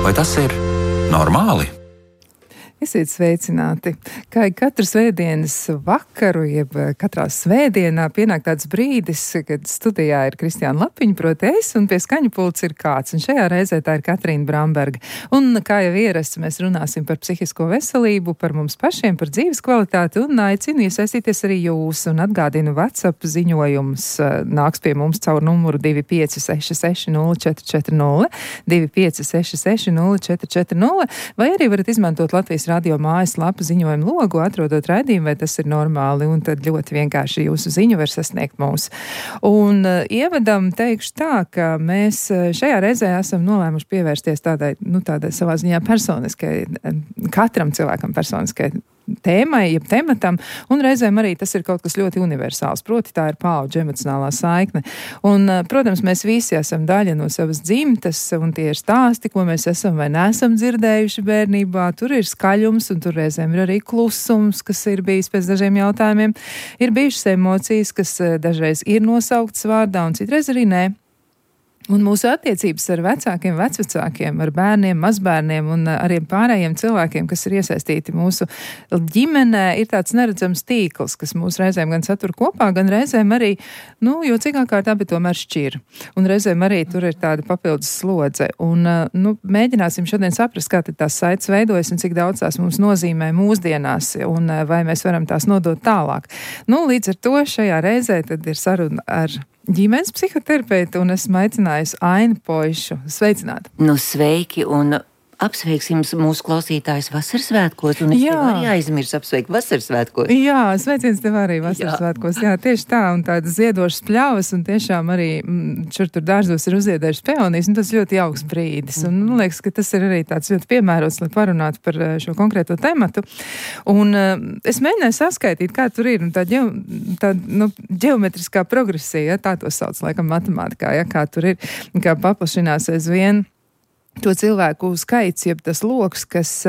Vai tas ir normāli? Esiet sveicināti. Kā katru svētdienas vakaru, jeb katrā svētdienā pienāk tāds brīdis, kad studijā ir Kristiāna Lapiņa, proti es, un pie skaņu pults ir kāds. Un šajā reizē tā ir Katrīna Bramberga. Un kā jau ierasts, mēs runāsim par psihisko veselību, par mums pašiem, par dzīves kvalitāti, un aicinu iesaistīties arī jūs. Un atgādinu, WhatsApp ziņojums nāks pie mums caur numuru 25660440, 25660440, vai arī varat izmantot Latvijas radio mājaslapa ziņojumu logu, atrodot raidījumu, vai tas ir normāli, un tad ļoti vienkārši jūsu ziņu var sasniegt mūs. Un ievadam teikšu tā, ka mēs šajā reizē esam nolēmuši pievērsties tādai savā ziņā personiskai, katram cilvēkam personiskai tēmai, jeb tematam, un reizēm arī tas ir kaut kas ļoti universāls, proti tā ir paudžu emocionālā saikne. Un, protams, mēs visi esam daļa no savas dzimtas, un tie ir stāsti, ko mēs esam vai neesam dzirdējuši bērnībā. Tur ir skaļums, un tur reizēm ir arī klusums, kas ir bijis pēc dažiem jautājumiem. Ir bijušas emocijas, kas dažreiz ir nosauktas vārdā, un citreiz arī nē. Un mūsu attiecības ar vecākiem, vecvecākiem, ar bērniem, mazbērniem un arī pārējiem cilvēkiem, kas ir iesaistīti mūsu ģimenē, ir tāds neredzams tīkls, kas mūs reizēm gan satur kopā, gan reizēm arī, jocīgā kārtā, bet tomēr šķir. Un reizēm arī tur ir tāda papildus slodze. Un, mēģināsim šodien saprast, kā tad tās saites veidojas un cik daudz tās mums nozīmē mūsdienās, un vai mēs varam tās nodot tālāk. Līdz ar to šajā reizē tad ir saruna ar ģimenes psihoterapeitu, un esmu aicinājusi Ainu Poišu. Sveicināti! Sveiki, un apsveiksim mūsu klausītājus Vasarsvētkos, un es tev arī aizmirsu apsveikt Vasarsvētkos. Jā, sveiciens tev arī Vasarsvētkos. Jā, tieši tā, un tādas ziedošas pļavas, un tiešām arī šur tur dārzos ir uzziedējušas peonijas, un tas ļoti jauks brīdis. Un man liekas, ka tas ir arī tāds ļoti piemērots, lai parunātu par šo konkrēto tematu. Un es mēģināju saskaitīt, kā tur ir, un tā ģeometriskā progresija, tā to sauc, laikam, matemātikā, kā tur ir, kā paplašinās aizvien to cilvēku skaits, jeb tas loks, kas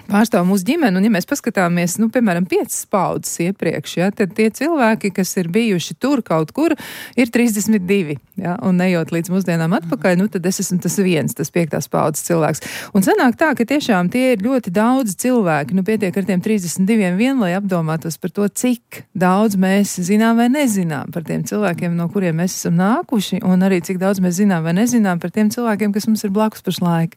pārstāv mūsu ģimeni, un ja mēs paskatāmies, piemēram, 5 paudzes iepriekš, tad tie cilvēki, kas ir bijuši tur kaut kur, ir 32, un nejot līdz mūsdienām atpakaļ, tad es esmu tas viens, tas 5. paudzes cilvēks. Un sanāk tā, ka tiešām tie ir ļoti daudz cilvēki, pietiek ar tiem 32 vien, lai apdomātos par to, cik daudz mēs zinām vai nezinām par tiem cilvēkiem, no kuriem mēs esam nākuši, un arī cik daudz mēs zinām vai nezinām par tiem cilvēkiem, kas mums ir blakus pašlaik.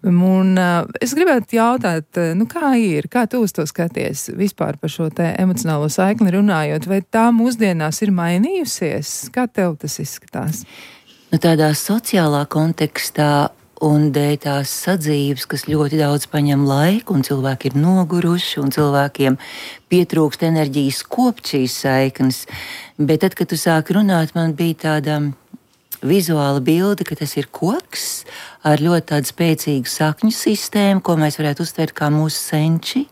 Un es gribētu jautāt, kā ir? Kā tu uz to skaties vispār par šo te emocionālo saikni runājot? Vai tā mūsdienās ir mainījusies? Kā tev tas izskatās? Tādā sociālā kontekstā un dēļ tās sadzīves, kas ļoti daudz paņem laiku, un cilvēki ir noguruši, un cilvēkiem pietrūkst enerģijas kopt šīs saiknes. Bet tad, kad tu sāki runāt, man bija tāda vizuāla bilde, ka tas ir koks ar ļoti tādu spēcīgu sakņu sistēmu, ko mēs varētu uztvert kā mūsu senči.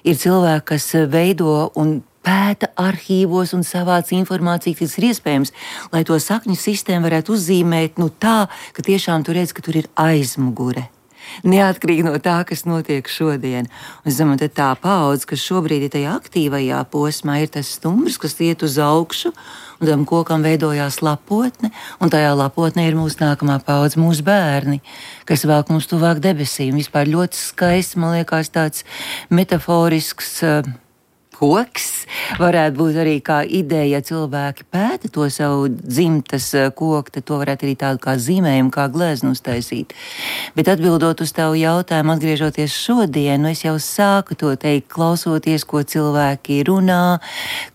Ir cilvēki, kas veido un pēta arhīvos un savāc informāciju, kas ir iespējams, lai to sakņu sistēmu varētu uzzīmēt tā, ka tiešām tu redz, ka tur ir aizmugure. Neatkarīgi no tā, kas notiek šodien. Un es domāju, ka tā paudze, kas šobrīd ir tajā aktīvajā posmā, ir tas stumbrs, kas iet uz augšu, un tam kokam veidojās lapotne, un tajā lapotnē ir mūsu nākamā paudze, mūsu bērni, kas velk mums tuvāk debesīm. Vispār ļoti skaists, man liekas, tāds metaforisks koks varētu būt arī kā ideja, ja cilvēki pēta to savu dzimtas koku, tad to varētu arī tādu kā zīmējumu, kā gleznu uztaisīt. Bet atbildot uz tavu jautājumu, atgriežoties šodien, es jau sāku to teikt, klausoties, ko cilvēki runā,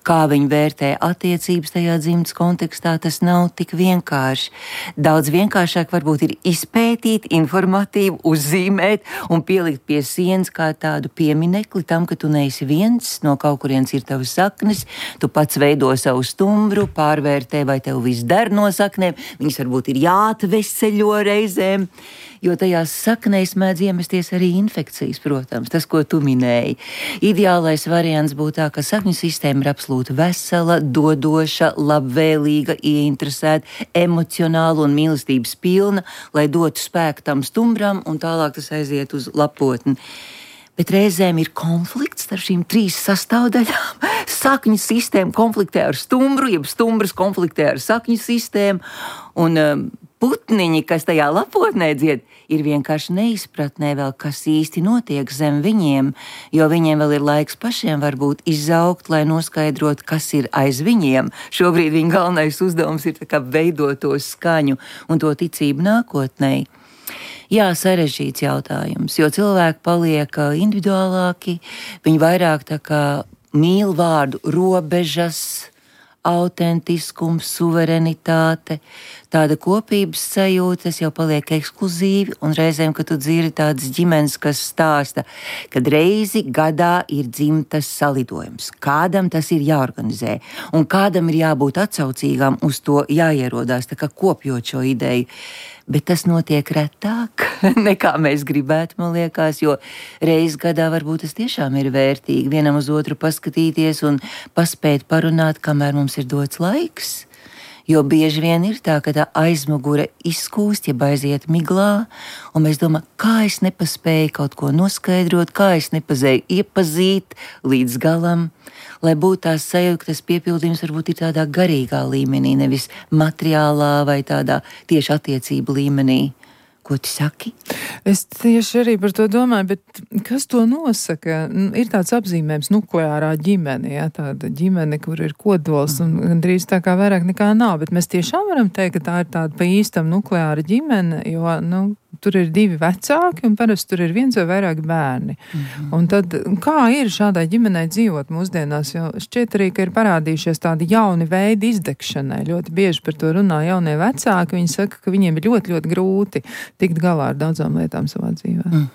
kā viņi vērtē attiecības tajā dzimtas kontekstā, tas nav tik vienkārši. Daudz vienkāršāk varbūt ir izpētīt, informatīvi, uzzīmēt un pielikt pie sienas kā tādu pieminekli tam, ka tu neesi viens, no kaut kurienes ir tavas saknes, tu pats veido savu stumbru, pārvērtē, vai tev viss der no saknēm, viņas varbūt ir jāatveseļo reizēm, jo tajās saknēs mēdz iemesties arī infekcijas, protams, tas, ko tu minēji. Ideālais variants būtu tā, ka sakņu sistēma ir absolūti vesela, dodoša, labvēlīga, ieinteresēta, emocionāla un mīlestības pilna, lai dotu spēku tam stumbram un tālāk tas aiziet uz lapotni. Bet reizēm ir konflikts starp šīm 3 sastāvdaļām. Sakņu sistēma konfliktē ar stumbru, jeb stumbrs konfliktē ar sakņu sistēmu, un putniņi, kas tajā lapotnē dzied, ir vienkārši neizpratnē vēl, kas īsti notiek zem viņiem, jo viņiem vēl ir laiks pašiem varbūt izaugt, lai noskaidrot, kas ir aiz viņiem. Šobrīd viņa galvenais uzdevums ir tā kā veidot to skaņu un to ticību nākotnei. Jā, sarežģīts jautājums, jo cilvēki paliek individuālāki, viņi vairāk tā kā mīl vārdu robežas, autentiskums, suverenitāte, tāda kopības sajūta, tas jau paliek ekskluzīvi, un reizēm, kad tu dzirdi tādas ģimenes, kas stāsta, kad reizi gadā ir dzimtas salidojums, kādam tas ir jāorganizē, un kādam ir jābūt atsaucīgam uz to jāierodās, tā kā kopjot šo ideju. Bet tas notiek retāk, nekā mēs gribētu, man liekas, jo reiz gadā varbūt tas tiešām ir vērtīgi vienam uz otru paskatīties un paspēt parunāt, kamēr mums ir dots laiks. Jo bieži vien ir tā, ka tā aizmugure izkūst, ja aiziet miglā, un mēs domājam, kā es nepaspēju kaut ko noskaidrot, kā es nepaspēju iepazīt līdz galam, lai būtu tās sajūta, tas piepildījums varbūt ir tādā garīgā līmenī, nevis materiālā vai tādā tieši attiecību līmenī. Ko tu saki? Es tieši arī par to domāju, bet kas to nosaka? Ir tāds apzīmējums nukleārā ģimene, ja? Tāda ģimene, kur ir kodols un gandrīz tā kā vairāk nekā nav, bet mēs tiešām varam teikt, ka tā ir tāda pa īstam nukleāra ģimene, jo, tur ir 2 vecāki un parasti tur ir 1 vai vairāk bērni. Un tad, kā ir šādai ģimenei dzīvot mūsdienās, jo šķiet arī, ka ir parādījušies tādi jauni veidi izdegšanai. Ļoti bieži par to runā jaunie vecāki, viņi saka, ka viņiem ir ļoti, ļoti grūti tikt galā ar daudzām lietām savā dzīvē.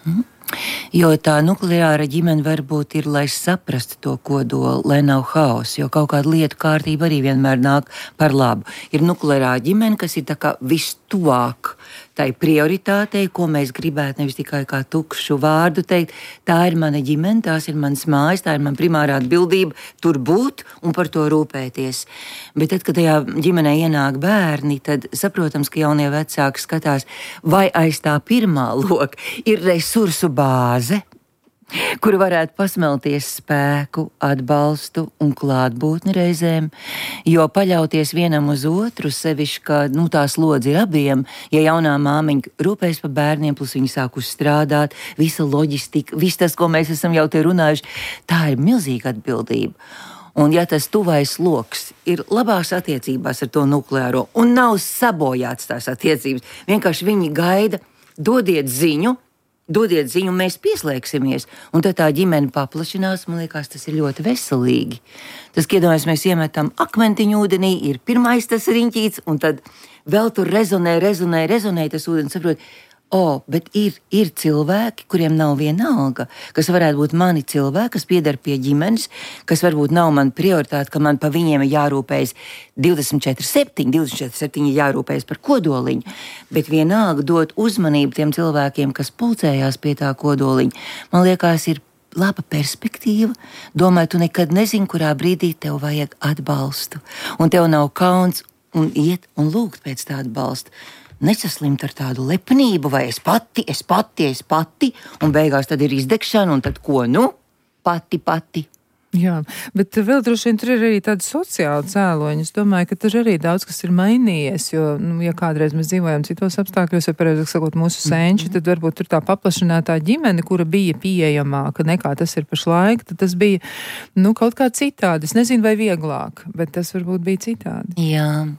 Jo tā nukleāra ģimene varbūt ir, lai saprastu to kodolu, lai nav haosa, jo kaut kāda lietu kārtība arī vienmēr nāk par labu. Ir nukleārā ģimene, kas ir tā kā vistuvāk tai prioritātei, ko mēs gribētu nevis tikai kā tukšu vārdu teikt. Tā ir mana ģimene, tās ir manas mājas, tā ir mana primārā atbildība tur būt un par to rūpēties. Bet tad, kad tajā ģimenē ienāk bērni, tad saprotams, ka jaunie vecāki skatās, vai aiz tā pirmā loka ir resursu bāze, kur varētu pasmelties spēku, atbalstu un klātbūtni reizēm, jo paļauties vienam uz otru, sevišķi, ka tā slodze ir abiem, ja jaunā māmiņa rūpēs par bērniem, plus viņi sāk uzstrādāt, visa loģistika, viss tas, ko mēs esam jau te runājuši, tā ir milzīga atbildība. Un ja tas tuvais loks ir labās attiecībās ar to nukleāro un nav sabojāts tās attiecības, vienkārši viņi gaida, dodiet ziņu, mēs pieslēgsimies, un tad tā ģimene paplašinās, man liekas, tas ir ļoti veselīgi. Tas, iedomājamies, mēs iemetam akmentiņu ūdenī, ir pirmais tas riņķīts, un tad vēl tur rezonē tas ūdens, saprot, bet ir cilvēki, kuriem nav vienalga, kas varētu būt mani cilvēki, kas pieder pie ģimenes, kas varbūt nav man prioritāte, ka man pa viņiem ir jārūpējas 24/7 ir jārūpējas par kodoliņu, bet vienalga dot uzmanību tiem cilvēkiem, kas pulcējās pie tā kodoliņa. Man liekas, ir laba perspektīva. Domāju, tu nekad nezini, kurā brīdī tev vajag atbalstu, un tev nav kauns un iet un lūgt pēc tā atbalsta. Nesaslimt ar tādu lepnību, vai es pati, un beigās tad ir izdegšana, un tad ko, pati. Jā, bet vēl droši vien tur ir arī tādi sociāli cēloņi. Es domāju, ka tur arī daudz kas ir mainījies, jo, ja kādreiz mēs dzīvojam citos apstākļos, vai pareizāk sakot mūsu senči, tad varbūt tur tā paplašinātā ģimene, kura bija pieejamāka nekā tas ir pašlaik, tad tas bija, kaut kā citādi. Es nezinu, vai vieglāk, bet tas varbūt bija citādi. Jā.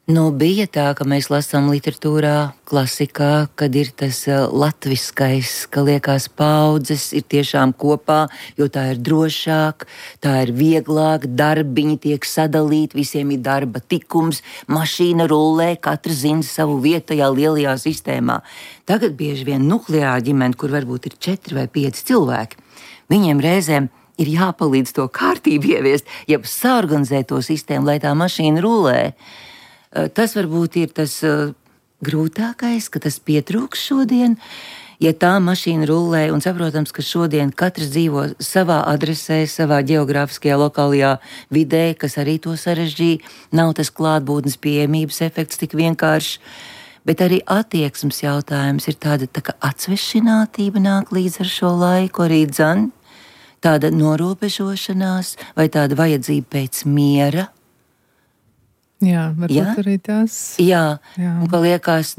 Bija tā, ka mēs lasām literatūrā, klasikā, kad ir tas latviskais, ka liekas paudzes ir tiešām kopā, jo tā ir drošāk, tā ir vieglāk, darbiņi tiek sadalīti, visiem ir darba tikums, mašīna rullē, katrs zina savu vietu tajā lielajā sistēmā. Tagad bieži vien nukleārā ģimene, kur varbūt ir 4 vai 5 cilvēki, viņiem reizēm ir jāpalīdz to kārtību ieviest, ja saorganizēt to sistēmu, lai tā mašīna rullē. Tas varbūt ir tas grūtākais, ka tas pietrūks šodien, ja tā mašīna rullē, un saprotams, ka šodien katrs dzīvo savā adresē, savā geogrāfiskajā lokālajā vidē, kas arī to sarežģīja, nav tas klātbūtnes pieejamības efekts tik vienkārši, bet arī attieksmes jautājums ir tāda tā kā atsvešinātība nāk līdz ar šo laiku, arī tāda norobežošanās vai tāda vajadzība pēc miera. Jā, varbūt arī tas. Jā. Un ka liekas,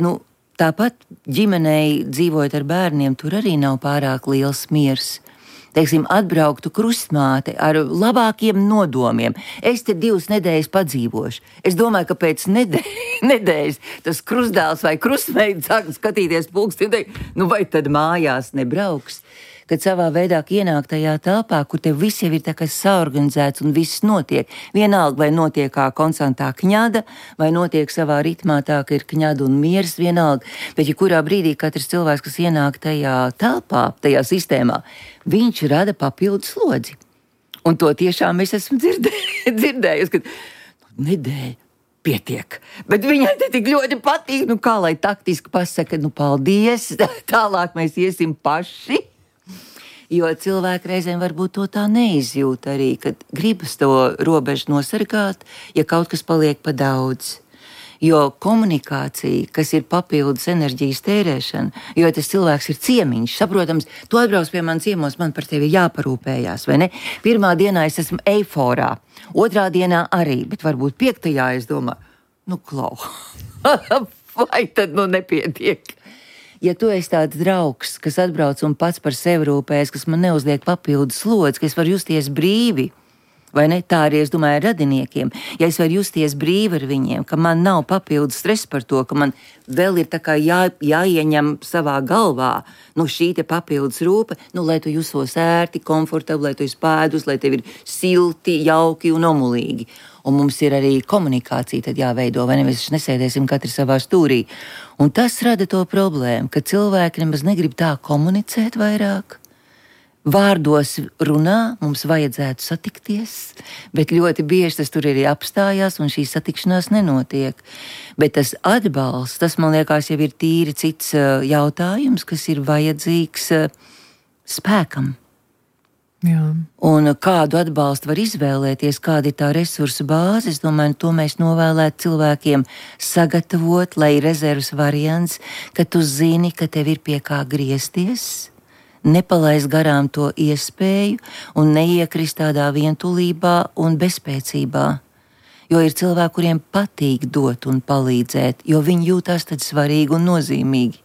tāpat ģimenei dzīvojot ar bērniem, tur arī nav pārāk liels miers. Teiksim, atbrauktu krustmāte ar labākiem nodomiem. Es te 2 nedēļas padzīvošu. Es domāju, ka pēc nedēļas tas krustdēls vai krustmeita sāk skatīties pulksti un teikt, vai tad mājās nebrauks? Kad savā veidā ienāk tajā telpā, kur tev viss jau ir tā kā saorganizēts un viss notiek. Vienalga, vai notiek kā konstantā kņada, vai notiek savā ritmā tā, ka ir kņada un miers vienalga. Bet, ja kurā brīdī katrs cilvēks, kas ienāk tajā telpā, tajā sistēmā, viņš rada papildus slodzi. Un to tiešām es esmu dzirdējusi, ka nedēļa pietiek. Bet viņai te tik ļoti patīk, kā lai taktiski pasaka, paldies, tālāk mēs iesim paši. Jo cilvēki reizēm varbūt to tā neizjūt arī, kad gribas to robežu nosargāt, ja kaut kas paliek pa daudz. Jo komunikācija, kas ir papildus enerģijas tērēšana, jo tas cilvēks ir ciemiņš, saprotams, tu atbrauc pie manis ciemos, man par tevi jāparūpējās, vai ne? Pirmā dienā es esmu eiforā, otrā dienā arī, bet varbūt 5. es domāju, klau, vai tad nepietiek? Ja tu esi tāds draugs, kas atbrauc un pats par sevi rūpējas, kas man neuzliek papildus slodzi, ka es varu justies brīvi, vai ne? Tā arī es domāju ar radiniekiem. Ja es varu justies brīvi ar viņiem, ka man nav papildus stress par to, ka man vēl ir tā kā jāieņem savā galvā, šī te papildus rūpe, lai tu jusos ērti, komfortabli, lai tu esi pēdus, lai tev ir silti, jauki un omulīgi. Un mums ir arī komunikācija tad jāveido, vai ne? Mēs nesēdēsim katri savā stūrī. Un tas rada to problēmu, ka cilvēki nemaz negrib tā komunicēt vairāk. Vārdos runā, mums vajadzētu satikties, bet ļoti bieži tas tur arī apstājās un šī satikšanās nenotiek. Bet tas atbalsts, tas man liekas jau ir tīri cits jautājums, kas ir vajadzīgs spēkam. Jā. Un kādu atbalstu var izvēlēties, kāda ir tā resursu bāze, es domāju, to mēs novēlētu cilvēkiem sagatavot, lai ir rezerves variants, ka tu zini, ka tev ir pie kā griezties, nepalaist garām to iespēju un neiekrist tādā vientulībā un bezspēcībā. Jo ir cilvēki, kuriem patīk dot un palīdzēt, jo viņi jūtās tad svarīgi un nozīmīgi.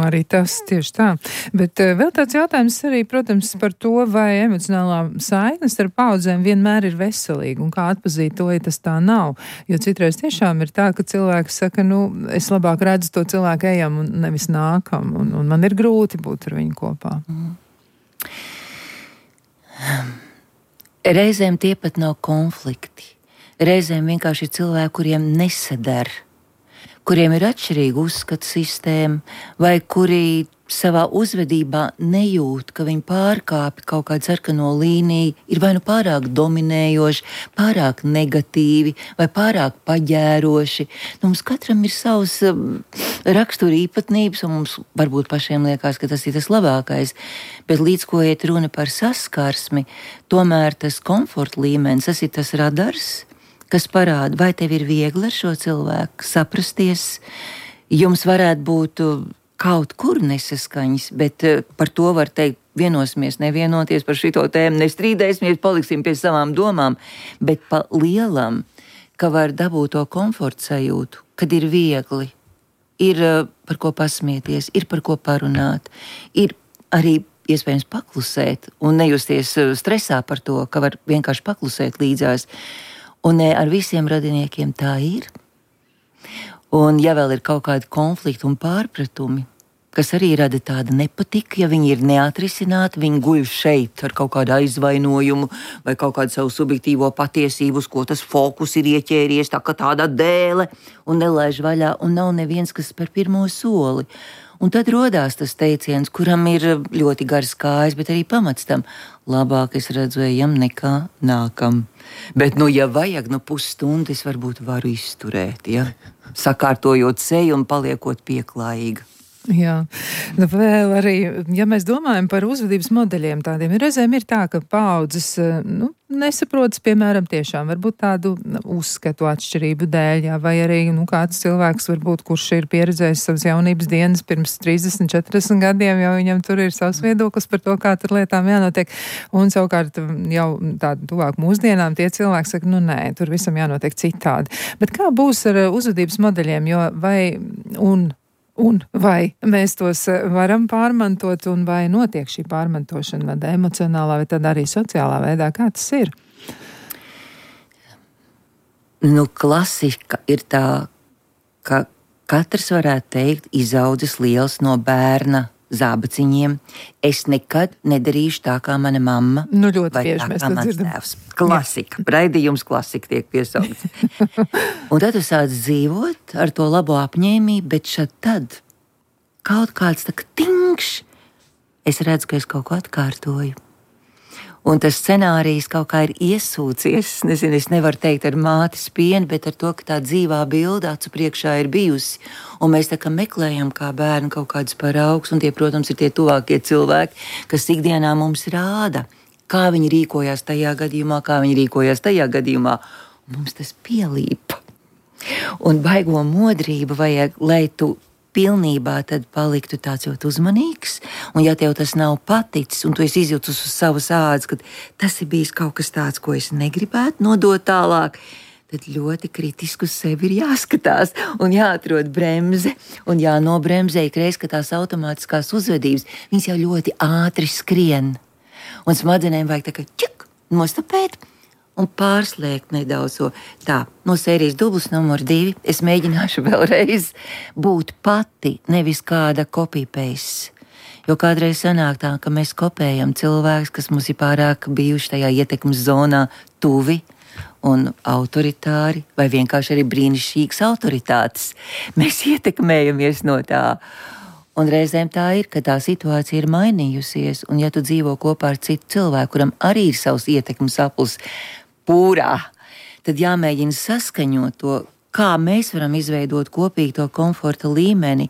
Arī tas tieši tā. Bet vēl tāds jautājums arī, protams, par to, vai emocionālā saikne starp paudzēm vienmēr ir veselīga un kā atpazīt to, ja tas tā nav. Jo citreiz tiešām ir tā, ka cilvēks saka, es labāk redzu to cilvēku ejam un nevis nākam, un man ir grūti būt ar viņu kopā. Reizēm tie pat nav konflikti. Reizēm vienkārši ir cilvēki, kuriem nesadar, kuriem ir atšķirīga uzskatu sistēma, vai kuri savā uzvedībā nejūt, ka viņi pārkāpj kaut kādu sarkano līniju, ir vai pārāk dominējoši, pārāk negatīvi vai pārāk paģēroši. Mums katram ir savs rakstura īpatnības, un mums varbūt pašiem liekas, ka tas ir tas labākais. Bet līdz ko iet runa par saskarsmi, tomēr tas komforta līmenis, tas ir tas radars, kas parāda, vai tev ir viegli ar šo cilvēku saprasties. Jums varētu būt kaut kur nesaskaņas, bet par to var teikt, vienosimies, nevienoties par šito tēmu, nestrīdēsimies, paliksim pie savām domām, bet pa lielam, ka var dabūt to komforta sajūtu, kad ir viegli, ir par ko pasmieties, ir par ko parunāt, ir arī iespējams paklusēt un nejusties stresā par to, ka var vienkārši paklusēt līdzās. Un ar visiem radiniekiem tā ir. Un ja vēl ir kaut kādi konflikti un pārpratumi, kas arī rada tādu nepatiku, ja viņi ir neatrisināti, viņi guļ šeit ar kaut kādu aizvainojumu vai kaut kādu savu subjektīvo patiesību, uz ko tas fokus ir ieķēries, tā kā tāda dēle, un nelaiž vaļā, un nav neviens, kas spēr pirmo soli. Un tad rodās tas teiciens, kuram ir ļoti garas kājas, bet arī pamats tam. Labāk es redzu ejam nekā nākam. Bet, ja vajag, pusstundu es varbūt varu izturēt, ja? Sakārtojot seju un paliekot pieklājīga. Jā, vēl arī, ja mēs domājam par uzvedības modeļiem tādiem, reizēm ir tā, ka paaudzes, nesaprotas, piemēram, tiešām varbūt tādu uzskatu atšķirību dēļ, jā, vai arī, kāds cilvēks varbūt, kurš ir pieredzējis savas jaunības dienas pirms 30, 40 gadiem, jau viņam tur ir savs viedoklis par to, kā tur lietām jānotiek, un savukārt jau tādu tuvāk mūsdienām tie cilvēki saka, nē, tur visam jānotiek citādi. Bet kā būs ar uzvedības modeļiem, jo vai mēs tos varam pārmantot, un vai notiek šī pārmantošana vai emocionālā, vai tad arī sociālā veidā? Kā tas ir? Klasika ir tā, ka katrs varētu teikt, izaudzis liels no bērna zābaciņiem. Es nekad nedarīšu tā, kā mana mamma. Ļoti bieži mēs to dzirdam. Klasika. Raidījums klasika tiek piesaukts. Un tad tu sāc dzīvot ar to labo apņēmību, bet tad kaut kāds tā kā tingš, es redzu, ka es kaut ko atkārtoju. Un tas scenārijs kaut kā ir iesūcies, es nevaru teikt ar mātes pienu, bet ar to, ka tā dzīvā bilde acu priekšā ir bijusi. Un mēs tā kā meklējam kā bērni kaut kādus paraugus, un tie, protams, ir tie tuvākie cilvēki, kas ikdienā mums rāda, kā viņi rīkojās tajā gadījumā, kā viņi rīkojās tajā gadījumā. Un mums tas pielīpa. Un baigo modrību vajag, lai tu pilnībā tad paliktu tāds ļoti uzmanīgs, un ja tev tas nav paticis, un tu esi izjūtus uz savas ādas, ka tas ir bijis kaut kas tāds, ko es negribētu nodot tālāk, tad ļoti kritiski uz sevi ir jāskatās, un jāatrod bremze, un jānobremzē ikreiz, ka tās automātiskās uzvedības, viņas jau ļoti ātri skrien, un smadzenēm vajag tā kā ķik, nostapēt, un pārslēgt nedaudz tā. No sērijas dublis numur 2 es mēģināšu vēlreiz būt pati, nevis kāda copy-paste. Jo kādreiz sanāk tā, ka mēs kopējam cilvēkus, kas mums ir pārāk bijuši tajā ietekmes zonā tuvi un autoritāri, vai vienkārši arī brīnišķīgas autoritātes. Mēs ietekmējamies no tā. Un reizēm tā ir, ka tā situācija ir mainījusies, un ja tu dzīvo kopā ar citu cilvēku, kuram arī ir savs ietekmes aplis, pūrā, tad jāmēģina saskaņot to, kā mēs varam izveidot kopīgi to komforta līmeni,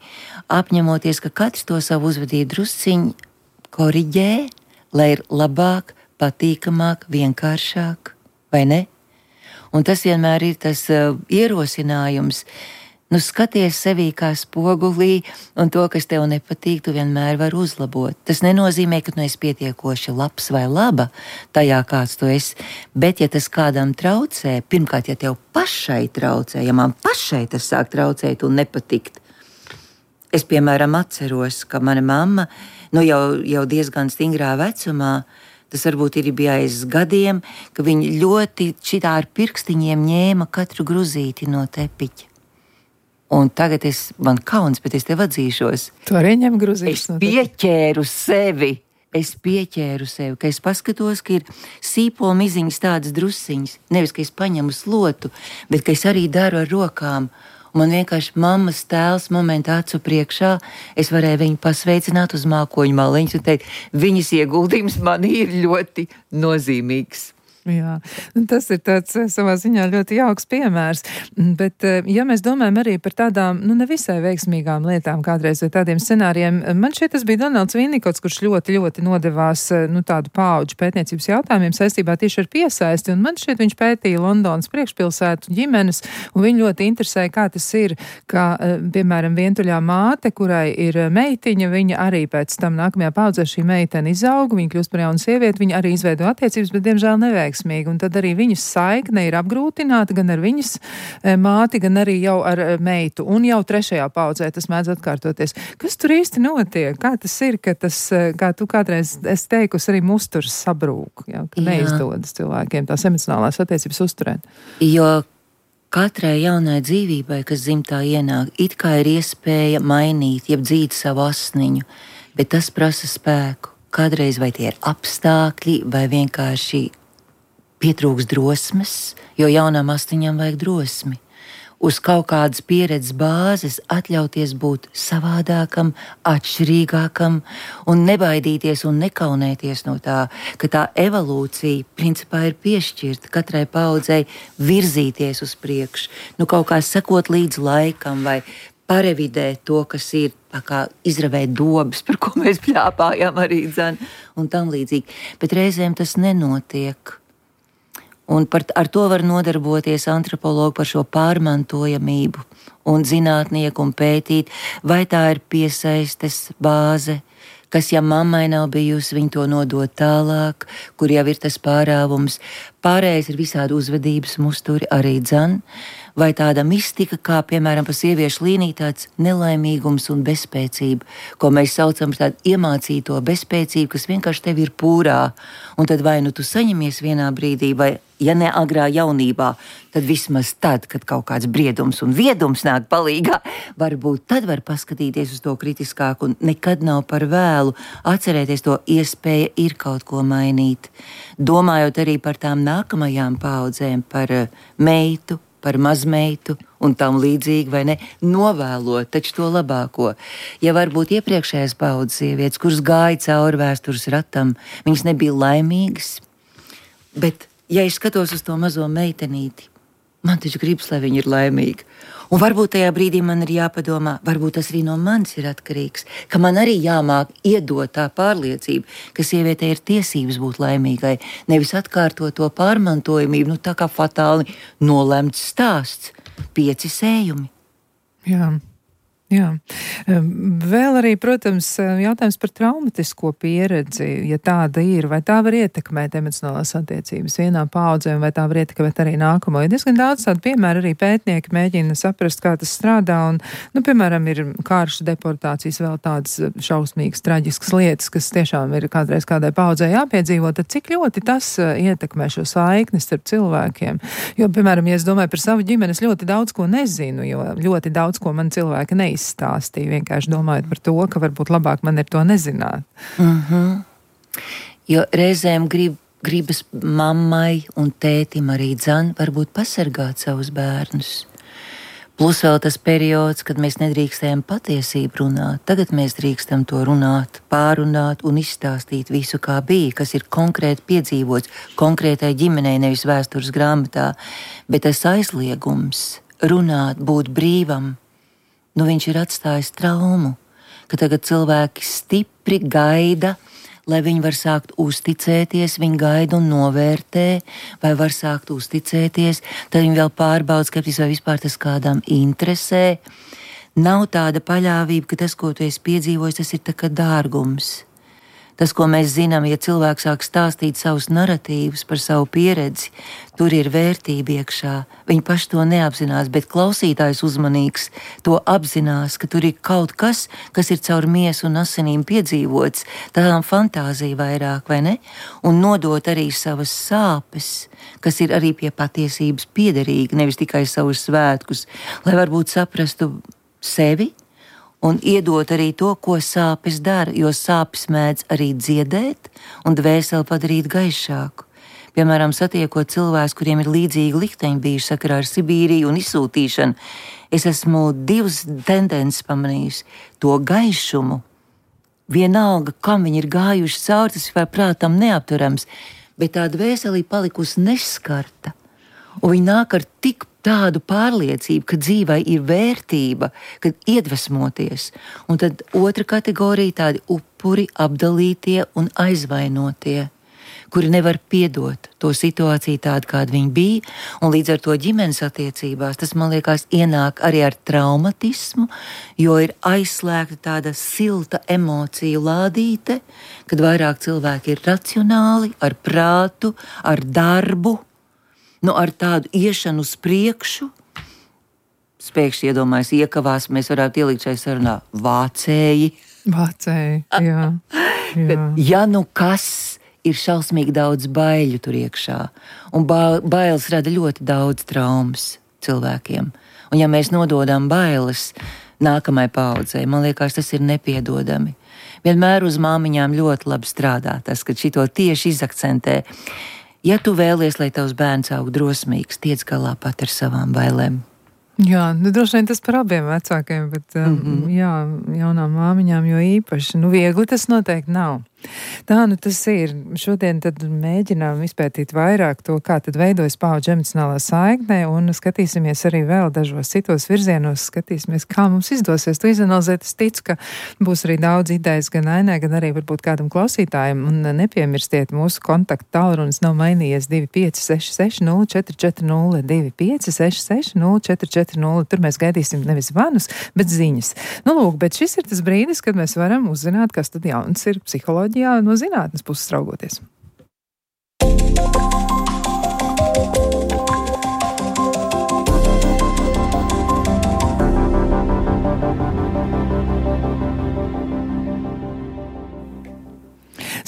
apņemoties, ka katrs to savu uzvedību drusciņu koriģē, lai ir labāk, patīkamāk, vienkāršāk, vai ne? Un tas vienmēr ir tas ierosinājums. Skaties sevī kā spogulī, un to, kas tev nepatīk, tu vienmēr vari uzlabot. Tas nenozīmē, ka tu esi pietiekoši labs vai laba tajā, kāds tu esi, bet ja tas kādam traucē, pirmkārt, ja tev pašai traucē, ja man pašai tas sāk traucēt un nepatikt. Es, piemēram, atceros, ka mana mamma, jau diezgan stingrā vecumā, tas varbūt ir bijis gadiem, ka viņa ļoti šitā ar pirkstiņiem ņēma katru gruzīti no tepiķa. Un tagad man kauns, bet es tev atzīšos. Tu arī ņem gruzīšus. Es pieķēru sevi, ka es paskatos, ka ir sīpola miziņas tādas drusiņas. Nevis, ka es paņemu slotu, bet ka es arī daru ar rokām. Un man vienkārši mammas tēls momentā acu priekšā, es varēju viņu pasveicināt uz mākoņu maliņas un teikt, viņas ieguldījums man ir ļoti nozīmīgs. Jā, tas ir tāds savā ziņā ļoti jauks piemērs, bet ja mēs domājam arī par tādām, nevisai veiksmīgām lietām kādreiz vai tādiem scenārijiem, man šeit tas bija Donalds Vinnikots, kurš ļoti nodevās tādu paudžu pētniecības jautājumiem saistībā tieši ar piesaisti, un man šeit viņš pētīja Londonas priekšpilsētu ģimenes, un viņu ļoti interesēja, kā tas ir, kā, piemēram, vientuļā māte, kurai ir meitiņa, viņa arī pēc tam nākamajā paudzē šī meitene izauga, viņa kļūst par jaunu sievieti, viņa arī izveido attiecības, bet diemžēl neveiksmīgi. Un tad arī viņas saikne ir apgrūtināta gan ar viņas māti, gan arī jau ar meitu. Un jau 3. paudzē tas mēdz atkārtoties. Kas tur īsti notiek? Kā tas ir, ka tas, kā tu kādreiz esi teikusi, arī musturs sabrūk, ja, ka neizdodas cilvēkiem tās emocionālās attiecības uzturēt? Jo katrai jaunai dzīvībai, kas dzimtā ienāk, it kā ir iespēja mainīt, jeb dzīt savu asniņu, bet tas prasa spēku. Kādreiz vai tie ir apstākļi, vai vienkārši pietrūks drosmes, jo jaunām astiņām vajag drosmi. Uz kaut kādas pieredzes bāzes atļauties būt savādākam, atšķirīgākam un nebaidīties un nekaunēties no tā, ka tā evolūcija principā ir piešķirta katrai paudzei virzīties uz priekšu, kaut kā sekot līdz laikam vai parevidēt to, kas ir, tā kā izravēt dobas, par ko mēs pļāpājām arī dzen, un tam līdzīgi. Bet reizēm tas nenotiek. Un ar to var nodarboties antropologi par šo pārmantojamību un zinātnieku un pētīt, vai tā ir piesaistes bāze, kas, ja mammai nav bijusi, viņa to nodod tālāk, kur jau ir tas pārāvums. Pārējais ir visādi uzvedības musturi arī dzen, vai tāda mistika, kā piemēram pa sieviešu līniju tāds nelaimīgums un bezspēcība, ko mēs saucam par tādu iemācīto bezspēcību, kas vienkārši tev ir pūrā, un tad vai nu tu saņemies vienā brīdī, vai ja ne agrā jaunībā, tad vismaz tad, kad kaut kāds briedums un viedums nāk palīgā, varbūt tad var paskatīties uz to kritiskāk un nekad nav par vēlu atcerēties to iespēja ir kaut ko mainīt. Domājot arī par tām nākamajām paudzēm, par meitu, par mazmeitu un tam līdzīgi, vai ne, novēlot taču to labāko. Ja varbūt iepriekšējās paudzes sievietes, kuras gāja cauri vēstures ratam, viņas nebija laimīgas, bet ja es skatos uz to mazo meitenīti, man taču gribas, lai viņa ir laimīga. Un varbūt tajā brīdī man ir jāpadomā, varbūt tas arī no manis ir atkarīgs, ka man arī jāmāk iedot tā pārliecība, ka sievietei ir tiesības būt laimīgai, nevis atkārtot to pārmantojamību, tā kā fatāli nolemts stāsts, 5 sējumi. Jā. Jā. Vēl arī, protams, jautājums par traumatisko pieredzi, ja tāda ir, vai tā var ietekmēt emocionālās attiecības vienā paudzē, vai tā var ietekmēt arī nākamo. Ir diezgan daudz tādu piemēru, arī pētnieki mēģina saprast, kā tas strādā, un, piemēram, ir karšu deportācijas, vēl tādas šausmīgas, traģiskas lietas, kas tiešām ir kādreiz kādai paudzē jāpiedzīvo, tad cik ļoti tas ietekmē šo saiknes starp cilvēkiem. Jo, piemēram, ja es domāju par savu ģimeni, es ļoti daudz ko nezinu, jo ļoti daudz ko man cilvēki neizstāstīja, vienkārši domājot par to, ka varbūt labāk man ir to nezināt. Jo reizēm gribas mammai un tētim arī dzen varbūt pasargāt savus bērnus. Plus vēl tas periods, kad mēs nedrīkstējam patiesību runāt. Tagad mēs drīkstam to runāt, pārunāt un izstāstīt visu, kā bija, kas ir konkrēti piedzīvots konkrētai ģimenei, nevis vēstures grāmatā. Bet tas aizliegums runāt, būt brīvam, viņš ir atstājis traumu, ka tagad cilvēki stipri gaida, lai viņi var sākt uzticēties, viņi gaida un novērtē, vai var sākt uzticēties, tad viņi vēl pārbauda, skeptis, vai vispār tas kādam interesē. Nav tāda paļāvība, ka tas, ko tu esi piedzīvojis, tas ir tā kā dārgums. Tas, ko mēs zinām, ja cilvēks sāk stāstīt savus naratīvus par savu pieredzi, tur ir vērtība iekšā. Viņi paši to neapzinās, bet klausītājs uzmanīgs to apzinās, ka tur ir kaut kas, kas ir caur miesu un asinīm piedzīvots, tādām fantāzija vairāk, vai ne? Un nodot arī savas sāpes, kas ir arī pie patiesības piederīgi, nevis tikai savus svētkus, lai varbūt saprastu sevi, un iedot arī to, ko sāpes dara, jo sāpes mēdz arī dziedēt un dvēseli padarīt gaišāku. Piemēram, satiekot cilvēkus, kuriem ir līdzīgi likteņi bijuši sakarā ar Sibīriju un izsūtīšanu, es esmu 2 tendences pamanījusi. To gaišumu, vienalga, kam viņi ir gājuši cauri, tas ir prātam neapturams, bet tā dvēselī palikusi neskarta. Un viņi nāk ar tik tādu pārliecību, ka dzīvai ir vērtība, kad iedvesmoties. Un tad otra kategorija tādi upuri, apdalītie un aizvainotie, kuri nevar piedot to situāciju tādu, kāda viņi bija, un līdz ar to ģimenes attiecībās tas, man liekas, ienāk arī ar traumatismu, jo ir aizslēgta tāda silta emociju lādīte, kad vairāk cilvēki ir racionāli, ar prātu, ar darbu, ar tādu iešanu uz priekšu. Spēkšņi iedomājas, iekavās, mēs varētu ielikt šai sarunā vācēji. Vācēji, jā. Ja kas ir šausmīgi daudz baiļu tur iekšā, un bailes rada ļoti daudz traumas cilvēkiem. Un ja mēs nododam bailes nākamai paudzei, man liekas, tas ir nepiedodami. Vienmēr uz māmiņām ļoti labi strādā tas, kad šito tieši izakcentē. Ja tu vēlies, lai tavs bērns aug drosmīgs, tiec galā pat ar savām bailēm. Jā, droši vien tas par abiem vecākiem, bet jā, jaunām māmiņām jo īpaši. Viegli tas noteikti nav. Tā nu tas ir. Šodien tad mēģinām izpētīt vairāk to, kā tad veidojas paudžu emocionālā saikne, un skatīsimies arī vēl dažos citos virzienos, skatīsimies, kā mums izdosies to izanalizēt. Es ticu, ka būs arī daudz idejas gan Ainai, gan arī varbūt kādam klausītājam, un nepiemirstiet, mūsu kontaktu tālrunis nav mainījies 2566 0440, 2566 0440. Tur mēs gaidīsim nevis zvanus, bet ziņas. Nu, lūk, bet šis ir tas brīdis, kad mēs varam uzzināt, kas tad jauns ir psiholoģijā no zinātnes puses raugoties.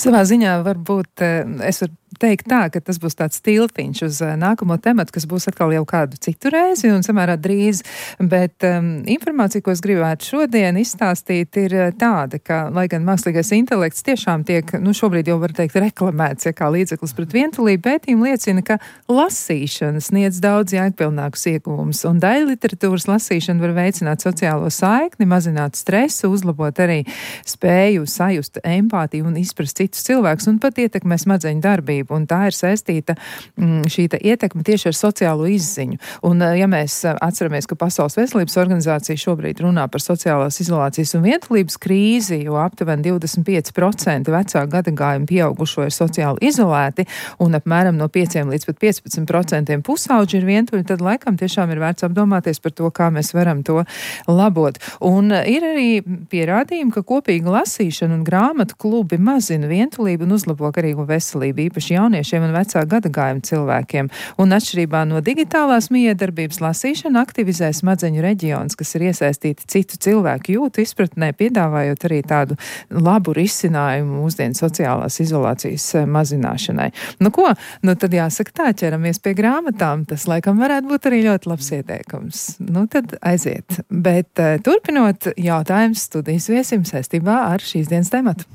Savā ziņā varbūt es varu teikt tā, ka tas būs tāds tiltiņš uz nākamo tematu, kas būs atkal jau kādu citu reizi un samērā drīz, bet informācija, ko es gribētu šodien izstāstīt, ir tāda, ka, lai gan mākslīgais intelekts tiešām tiek, šobrīd jau var teikt, reklamēts, kā līdzeklis pret vientulību, pētījumi liecina, ka lasīšana sniedz daudz jēgpilnākus ieguvumus, un daļa literatūras lasīšana var veicināt sociālo saikni, mazināt stresu, uzlabot arī spēju sajust empātiju un izprast citus cilvēkus, un pat ietekmē smadzeņu darbību. Un tā ir saistīta šī ietekme tieši ar sociālo izziņu. Un ja mēs atceramies, ka Pasaules veselības organizācija šobrīd runā par sociālās izolācijas un vientulības krīzi, jo aptuveni 25% vecāku gadagājumu pieaugušo ir sociāli izolēti un apmēram no 5 līdz pat 15% pusauģi ir vientuļi, tad laikam tiešām ir vērts apdomāties par to, kā mēs varam to labot. Un ir arī pierādījumi, ka kopīga lasīšana un grāmatu klubi mazina vientulību un uzlabo garīgo veselību, īpaši jauniešiem un vecāku gadagājumu cilvēkiem. Un atšķirībā no digitālās miedarbības lasīšana aktivizē smadzeņu reģionus, kas ir iesaistīti citu cilvēku jūtu izpratnē, piedāvājot arī tādu labu risinājumu mūsdienu sociālās izolācijas mazināšanai. Nu ko? Nu tad jāsaka tā, ķeramies pie grāmatām. Tas laikam varētu būt arī ļoti labs ieteikums. Nu tad aiziet. Bet turpinot, jautājums studijas viesim saistībā ar šīs dienas tematu.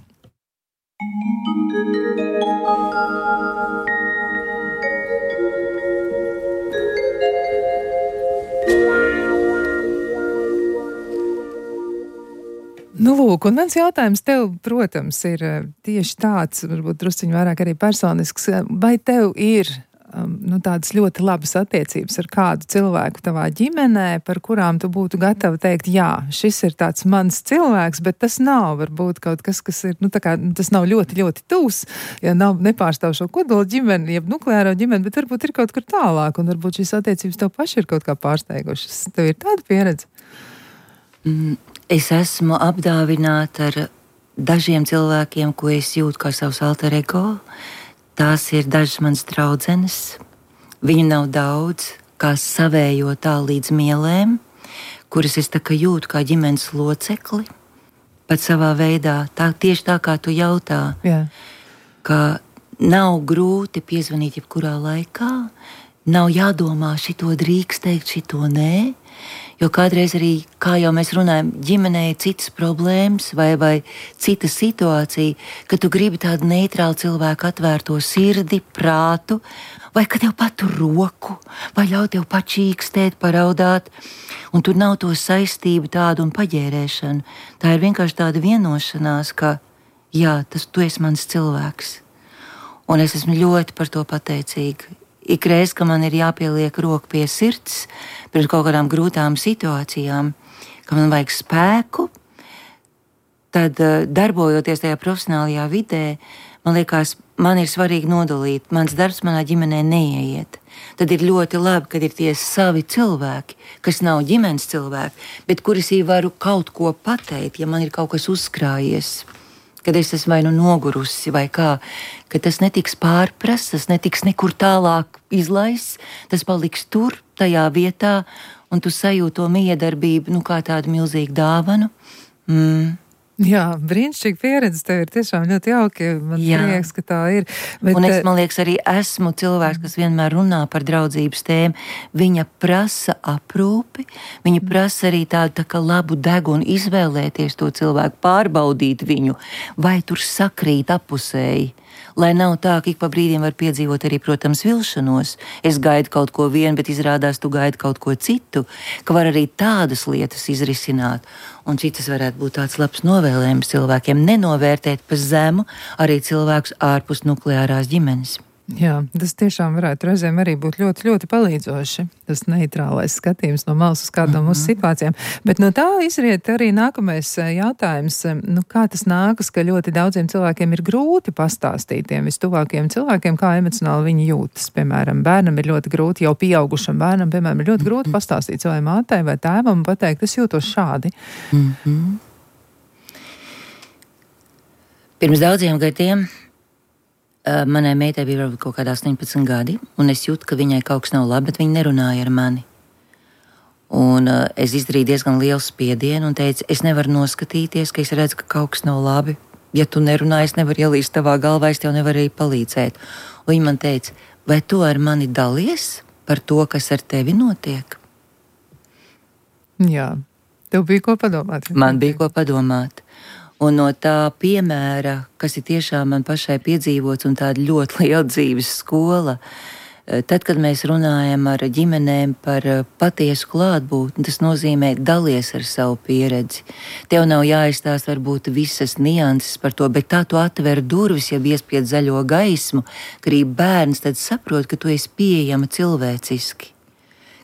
Nu, lūk, un mans jautājums tev, protams, ir tieši tāds, varbūt drusciņi vairāk arī personisks. Vai tev ir tādas ļoti labas attiecības ar kādu cilvēku tavā ģimenē, par kurām tu būtu gatava teikt, jā, šis ir tāds mans cilvēks, bet tas nav varbūt kaut kas, kas ir, tas nav ļoti, ļoti tūs, ja nepārstāv šo kodolu ģimeni, jeb nukleāro ģimeni, bet varbūt ir kaut kur tālāk, un varbūt šīs attiecības tev paši ir kaut kā pārsteigušas. Tev ir tāda pieredze? Es esmu apdāvināta ar dažiem cilvēkiem, ko es jūtu kā savs alter ego. Tās ir dažas manas draudzenes. Viņu nav daudz, kā savējo tā līdz mielēm, kuras es tā kā jūtu kā ģimenes locekli. Pat savā veidā, tieši tā kā tu jautā, ka nav grūti piezvanīt jebkurā laikā, nav jādomā šito drīkst teikt, šito nē. Jo kādreiz arī, kā jau mēs runājam, ģimenē ir citas problēmas vai cita situācija, ka tu gribi tādu neitrālu cilvēku atvērto sirdi, prātu, vai ka tev patur roku, vai ļauj tev pačīkstēt, paraudāt, un tur nav to saistību tādu un paģērēšanu. Tā ir vienkārši tāda vienošanās, ka jā, tu esi mans cilvēks. Un es esmu ļoti par to pateicīga. Ikreiz, ka man ir jāpieliek roku pie sirds pret kaut kādām grūtām situācijām, ka man vajag spēku, tad darbojoties tajā profesionālajā vidē, man liekas, man ir svarīgi nodalīt. Mans darbs manā ģimenē neieiet. Tad ir ļoti labi, kad ir tie savi cilvēki, kas nav ģimenes cilvēki, bet kuras varu kaut ko pateikt, ja man ir kaut kas uzkrājies. Kad es esmu vai nogurusi, vai kā, ka tas netiks pārprasts, tas netiks nekur tālāk izlaists, tas paliks tur, tajā vietā, un tu sajūti to miedarbību, kā tādu milzīgu dāvanu. Jā, brīnišķīga pieredze, tev ir tiešām ļoti jauki, man prieks, ka tā ir. Bet, un es, man liekas, arī esmu cilvēks, kas vienmēr runā par draudzības tēmu. Viņa prasa aprūpi, viņa prasa arī tādu tā kā labu degunu izvēlēties to cilvēku, pārbaudīt viņu, vai tur sakrīt apusēji. Lai nav tā, ka ik pa brīdiem var piedzīvot arī, protams, vilšanos. Es gaidu kaut ko vienu, bet izrādās tu gaidi kaut ko citu, ka var arī tādas lietas izrisināt. Un šitas varētu būt tāds labs novēlējums cilvēkiem nenovērtēt pa zemu arī cilvēkus ārpus nukleārās ģimenes. Jā, tas tiešām varētu reizēm arī būt ļoti, ļoti palīdzoši. Tas neitrālais skatījums no malas uz kādām mūsu situācijām. Bet no tā izriet arī nākamais jautājums. Kā tas nākas, ka ļoti daudziem cilvēkiem ir grūti pastāstīt tiem vistuvākajiem cilvēkiem, kā emocionāli viņi jūtas. Piemēram, bērnam ir ļoti grūti, jau pieaugušam bērnam, piemēram, ir ļoti grūti pastāstīt savai mātei vai tēvam un pateikt, es jūtos šādi. Pirms daudziem gadiem manai meitai bija varbūt kaut kādā 18 gadi, un es jūtu, ka viņai kaut kas nav labi, bet viņa nerunāja ar mani. Un es izdarīju diezgan lielu spiedienu un teicu, es nevaru noskatīties, ka es redzu, ka kaut kas nav labi. Ja tu nerunāji, es nevaru ielīst tavā galvā, es tev nevaru arī palīdzēt. Un viņa man teica, vai tu ar mani dalies par to, kas ar tevi notiek? Jā, tev bija ko padomāt. Man bija ko padomāt. Un no tā piemēra, kas ir tiešām man pašai piedzīvots un tāda ļoti liela dzīves skola, tad, kad mēs runājam ar ģimenēm par patiesu klātbūtni, tas nozīmē dalies ar savu pieredzi. Tev nav jāizstāst varbūt visas nianses par to, bet tā tu atver durvis, ja iespied zaļo gaismu, ka arī bērns tad saprot, ka tu esi pieejama cilvēciski.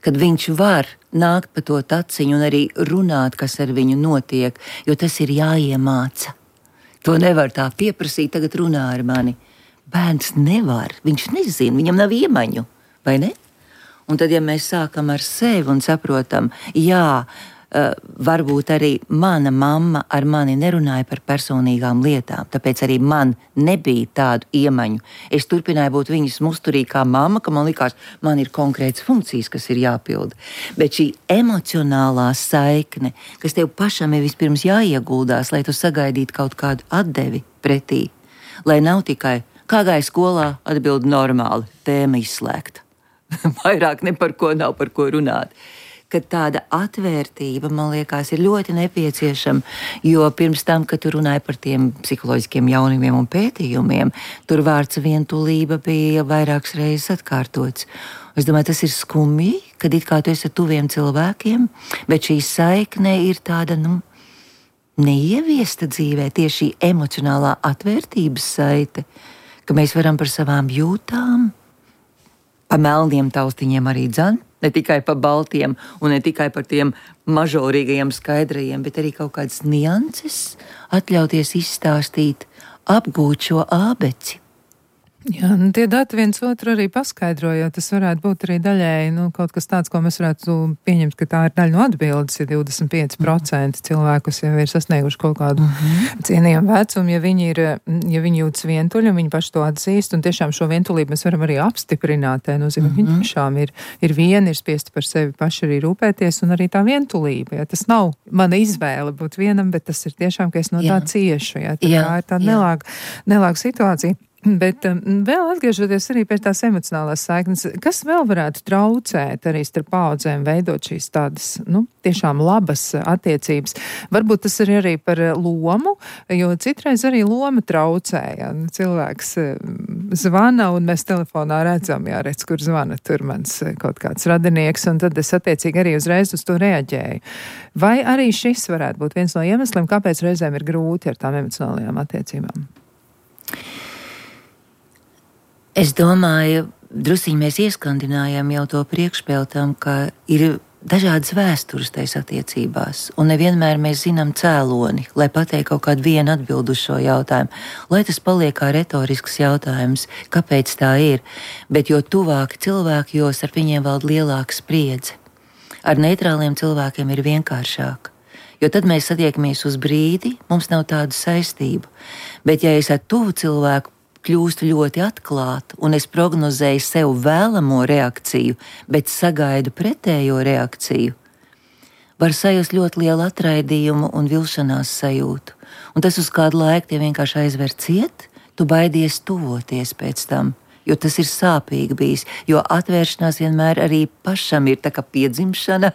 Kad viņš var nākt pa to taciņu un arī runāt, kas ar viņu notiek, jo tas ir jāiemāca. To nevar tā pieprasīt, tagad runā ar mani. Bērns nevar, viņš nezina, viņam nav iemaņu, vai ne? Un tad, ja mēs sākam ar sevi un saprotam, jā, varbūt arī mana mamma ar mani nerunāja par personīgām lietām, tāpēc arī man nebija tādu iemaņu. Es turpināju būt viņas musturī kā mamma, ka man likās, man ir konkrētas funkcijas, kas ir jāpilda. Bet šī emocionālā saikne, kas tev pašam ir vispirms jāieguldās, lai tu sagaidītu kaut kādu atdevi pretī, lai nav tikai, kā gāja skolā, atbild normāli, tēma izslēgta. Vairāk ne par ko nav par ko runāt. Kad tāda atvērtība, man liekas, ir ļoti nepieciešama, jo pirms tam, kad tu runāji par tiem psiholoģiskiem jaunumiem un pētījumiem, tur vārds vientulība bija vairākas reizes atkārtots. Es domāju, tas ir skumji, kad it kā tu esi ar tuviem cilvēkiem, bet šī saikne ir tāda, neieviesta dzīvē, tieši emocionālā atvērtības saite, ka mēs varam par savām jūtām, pa melniem taustiņiem arī dzan, ne tikai pa baltiem un ne tikai par tiem mažorīgajiem skaidrajiem, bet arī kaut kādas nianses atļauties izstāstīt, apgūt šo ābeci. Jā, tie dati viens otru arī paskaidro, jo tas varētu būt arī daļēji, kaut kas tāds, ko mēs varētu pieņemt, ka tā ir daļa no atbildes, ja 25% cilvēkus jau ir sasnieguši kaut kādu cienījumu vecumu, ja viņi jūtas vientuļi un viņi paši to atzīst, un tiešām šo vientulību mēs varam arī apstiprināt, nozīmē, viņi tiešām ir vieni, ir spiesti par sevi paši arī rūpēties, un arī tā vientulība, ja tas nav mana izvēle būt vienam, bet tas ir tiešām, ka es no tā ciešu, ja tā ir tāda nelāga situācija. Bet vēl atgriežoties arī pie tās emocionālās saiknes, kas vēl varētu traucēt arī starp paudzēm veidot šīs tādas, tiešām labas attiecības? Varbūt tas ir arī par lomu, jo citreiz arī loma traucē, ja cilvēks zvana un mēs telefonā redzam, jāredz, kur zvana tur mans kaut kāds radinieks, un tad es attiecīgi arī uzreiz uz to reaģēju. Vai arī šis varētu būt viens no iemesliem, kāpēc reizēm ir grūti ar tām emocionālajām attiecībām? Es domāju, drusciņi mēs ieskandinājām jau to priekšpēltam, ka ir dažādas vēstures tais attiecībās, un nevienmēr mēs zinām cēloni, lai pateiktu kaut kādu vienu atbildu uz šo jautājumu, lai tas paliek kā retorisks jautājums, kāpēc tā ir, bet jo tuvāki cilvēki, jo ar viņiem valda lielāka spriedze. Ar neitrāliem cilvēkiem ir vienkāršāk, jo tad mēs satiekamies uz brīdi, mums nav tādu saistību, bet ja es ar tuvu cilvēku kļūstu ļoti atklāta, un es prognozēju sev vēlamo reakciju, bet sagaidu pretējo reakciju, var sajust ļoti lielu atraidījumu un vilšanās sajūtu. Un tas uz kādu laiku tie vienkārši aizver ciet, tu baidies tuvoties pēc tam, jo tas ir sāpīgi bijis, jo atvēršanās vienmēr arī pašam ir tā kā piedzimšana,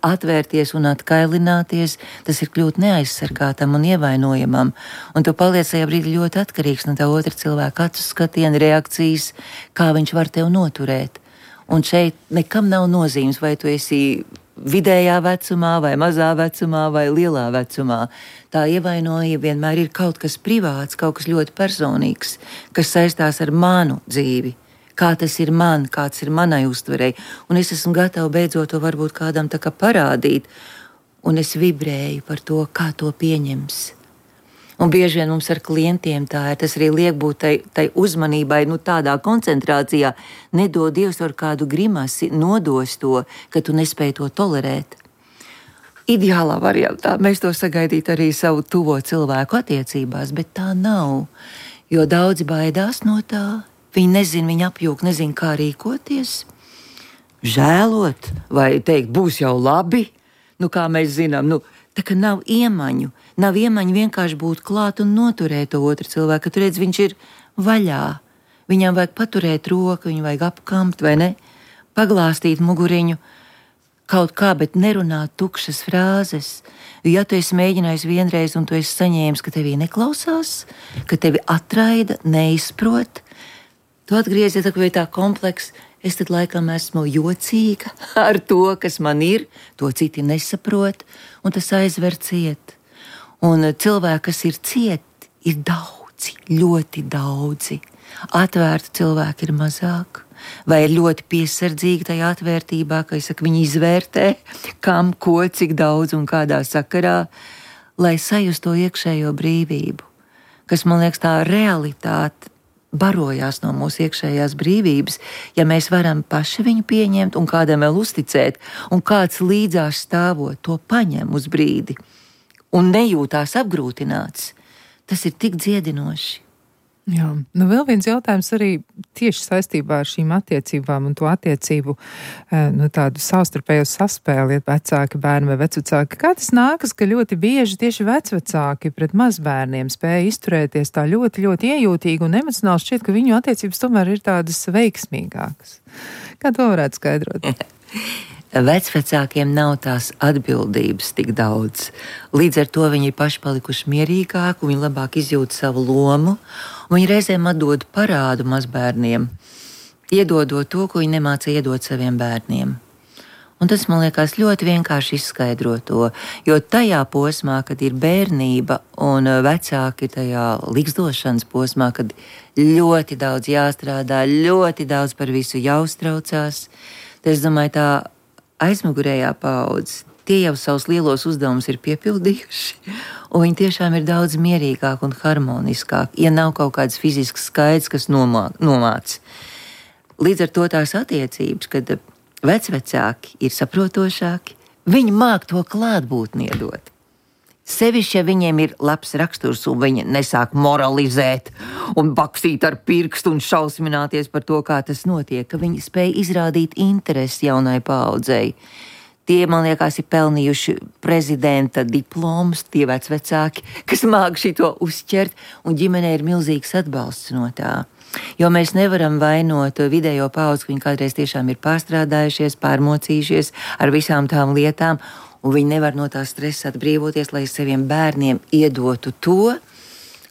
atvērties un atkailināties, tas ir kļūt neaizsargātam un ievainojamam, un tu paliec tajā brīdī ļoti atkarīgs no tā otra cilvēka acu skatiena, reakcijas, kā viņš var tev noturēt. Un šeit nekam nav nozīmes, vai tu esi vidējā vecumā, vai mazā vecumā, vai lielā vecumā. Tā ievainojība vienmēr ir kaut kas privāts, kaut kas ļoti personīgs, kas saistās ar manu dzīvi. Kā tas ir man, kāds ir manai uztverei. Un es esmu gatava beidzot to varbūt kādam tā kā parādīt. Un es vibrēju par to, kā to pieņems. Un bieži vien mums ar klientiem tā ir, tas arī liek būt tai uzmanībai, tādā koncentrācijā, nedod Dievs ar kādu grimasi, nodos to, ka tu nespēji to tolerēt. Ideālā variantā mēs to sagaidītu arī savu tuvo cilvēku attiecībās, bet tā nav, jo daudzi baidās no tā, viņi nezin, viņi apjūk, nezin, kā rīkoties, žēlot vai teikt, būs jau labi, kā mēs zinām, tā kā nav iemaņu vienkārši būt klāt un noturēt to otru cilvēku, ka tu redz, viņš ir vaļā. Viņam vajag paturēt roku, viņu vajag apkamt, vai ne? Paglāstīt muguriņu kaut kā, bet nerunāt tukšas frāzes. Ja tu esi mēģinājis vienreiz un tu esi saņēmis, ka tevī neklausās, ka tevi atraida, neizprot, tu atgriezies tā kompleks, es tad laikam esmu jocīga ar to, kas man ir, to citi nesaprot, un tas aizver ciet. Un cilvēki, kas ir cieti, ir daudzi, ļoti daudzi. Atvērti cilvēki ir mazāk, vai ir ļoti piesardzīgi tajā atvērtībā, ka viņi izvērtē, kam, ko, cik daudz un kādā sakarā, lai sajustu to iekšējo brīvību, kas, man liekas, tā realitāte barojās no mūsu iekšējās brīvības, ja mēs varam paši viņu pieņemt un kādam vēl uzticēt, un kāds līdzās stāvot to paņem uz brīdi un nejūtās apgrūtināts, tas ir tik dziedinoši. Jā, vēl viens jautājums arī tieši saistībā ar šīm attiecībām un to attiecību, tādu savstarpējo saspēli, vecāki bērni vai vecvecāki. Kā tas nākas, ka ļoti bieži tieši vecvecāki pret mazbērniem spēja izturēties tā ļoti, ļoti iejūtīgi un emocionāli šķiet, ka viņu attiecības tomēr ir tādas veiksmīgākas. Kā to varētu skaidrot? Vecvecākiem nav tās atbildības tik daudz. Līdz ar to viņi ir paši palikuši mierīgāki, viņi labāk izjūt savu lomu, un viņi reizēm atdod parādu mazbērniem, iedodot to, ko viņi nemāca iedot saviem bērniem. Un tas, man liekas, ļoti vienkārši izskaidro to, jo tajā posmā, kad ir bērnība un vecāki ir tajā ligzdošanas posmā, kad ļoti daudz jāstrādā, ļoti daudz par visu jāuztraucās, tad es domāju, tā aizmugurējā paudze, tie jau savus lielos uzdevumus ir piepildījuši, un viņi tiešām ir daudz mierīgāk un harmoniskāk, ja nav kaut kāds fizisks skaids, kas nomāc. Līdz ar to tās attiecības, kad vecvecāki ir saprotošāki, viņi māk to klātbūtni iedot. Sevišķi, ja viņiem ir labs raksturs un viņi nesāk moralizēt un bakstīt ar pirkstu un šausmināties par to, kā tas notiek, ka viņi spēj izrādīt interesi jaunai paaudzei. Tie, man liekas, ir pelnījuši prezidenta diplomus, tie vecvecāki, kas māk šito uzķert, un ģimenei ir milzīgs atbalsts no tā. Jo mēs nevaram vainot vidējo paudzi, ka viņi kādreiz tiešām ir pārstrādājušies, pārmocījušies ar visām tām lietām, un viņi nevar no tā stresa atbrīvoties, lai saviem bērniem iedotu to,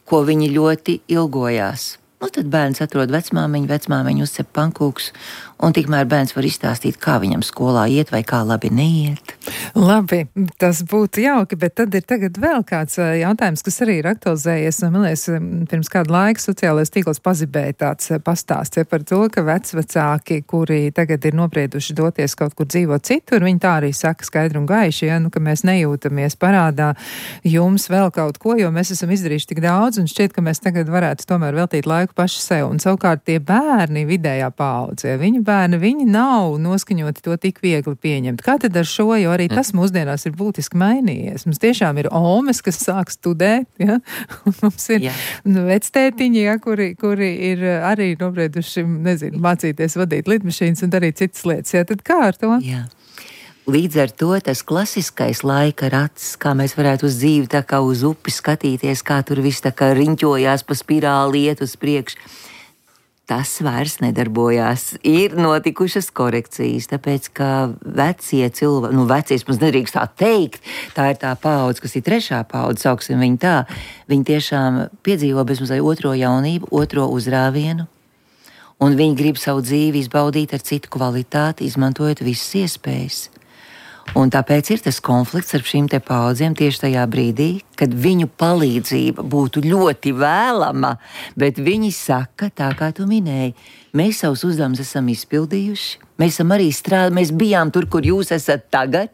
ko viņi ļoti ilgojās. Tad bērns atrod vecmāmiņu uzcep pankūks, un tikmēr bērns var izstāstīt, kā viņam skolā iet vai kā labi neiet. Labi, tas būtu jauki, bet tad ir tagad vēl kāds jautājums, kas arī ir aktualizējies. Man liekas, pirms kādu laiku sociālais tīkls pazibēja tāds pastāsts par to, ka vecvecāki, kuri tagad ir noprieduši doties kaut kur dzīvot citur, viņi tā arī saka skaidri un gaiši, ka mēs nejūtamies parādā jums vēl kaut ko, jo mēs esam izdarījuši tik daudz, un šķiet, ka mēs tagad varētu tomēr veltīt laiku paši sev. Un savukārt tie bērni vidējā paaudzē, viņu bērni, viņi nav noskaņoti to tik viegli pieņemt. Kā tad ar šo, jo arī tas mūsdienās ir būtiski mainījies. Mums tiešām ir omes, kas sāk studēt, ja? Un mums ir vectētiņi, ja, kuri ir arī nobrieduši, mācīties vadīt lidmašīnas un darīt citas lietas. Ja? Tad kā ar to? Jā. Līdz ar to tas klasiskais laika rats, kā mēs varētu uz dzīvi tā kā uz upi skatīties, kā tur viss tā kā riņķojās pa spirāli iet uz priekšu, tas vairs nedarbojās. Ir notikušas korekcijas, tāpēc, ka vecie cilvēki, vecie, mums nedrīkst tā teikt, tā ir tā paudze, kas ir trešā paudze, sauksim viņu tā, viņi tiešām piedzīvo bezmazliet otro jaunību, otro uzrāvienu, un viņi grib savu dzīvi izbaudīt ar citu kvalitāti, izmantojot visas iespējas. Un tāpēc ir tas konflikts ar šīm te paudzēm tieši tajā brīdī, kad viņu palīdzība būtu ļoti vēlama, bet viņi saka, tā kā tu minēji, mēs savus uzdevumus esam izpildījuši, mēs esam arī strādājuši, mēs bijām tur, kur jūs esat tagad,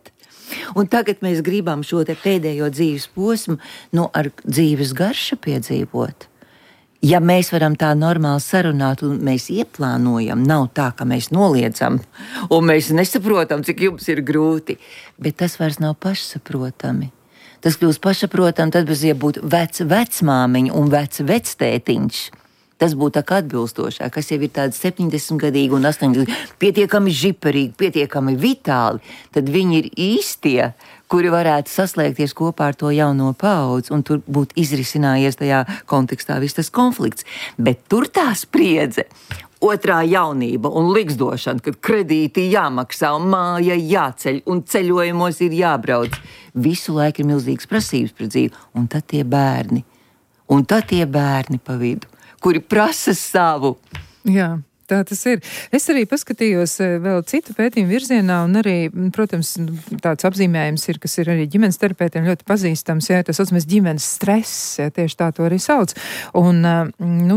un tagad mēs gribam šo te pēdējo dzīves posmu, ar dzīves garšu piedzīvot. Ja mēs varam tā normāli sarunāt un mēs ieplānojam, nav tā, ka mēs noliedzam un mēs nesaprotam, cik jums ir grūti, bet tas vairs nav pašsaprotami. Tas kļūst pašsaprotami, tad bez būt vecmāmiņa un vectētiņš. Tas būtu tā kā atbilstošāk, kas jau ir tādi 70-gadīgi un 80-gadīgi, pietiekami žiperīgi, pietiekami vitāli, tad viņi ir īstie, kuri varētu saslēgties kopā ar to jauno paudzi, un tur būtu izrisinājies tajā kontekstā viss tas konflikts. Bet tur tā spriedze, otrā jaunība un liksdošana, kad kredīti jāmaksā un māja jāceļ un ceļojumos ir jābrauc. Visu laiku ir milzīgas prasības pret dzīvi, un tad tie bērni pa vidu, kuri prasa savu. Jā. Tā tas ir. Es arī paskatījos vēl citu pētījumu virzienā, un arī, protams, tāds apzīmējums ir, kas ir arī ģimenes terapeitiem ļoti pazīstams, tas saucamies ģimenes stress, tieši tā to arī sauc. Un,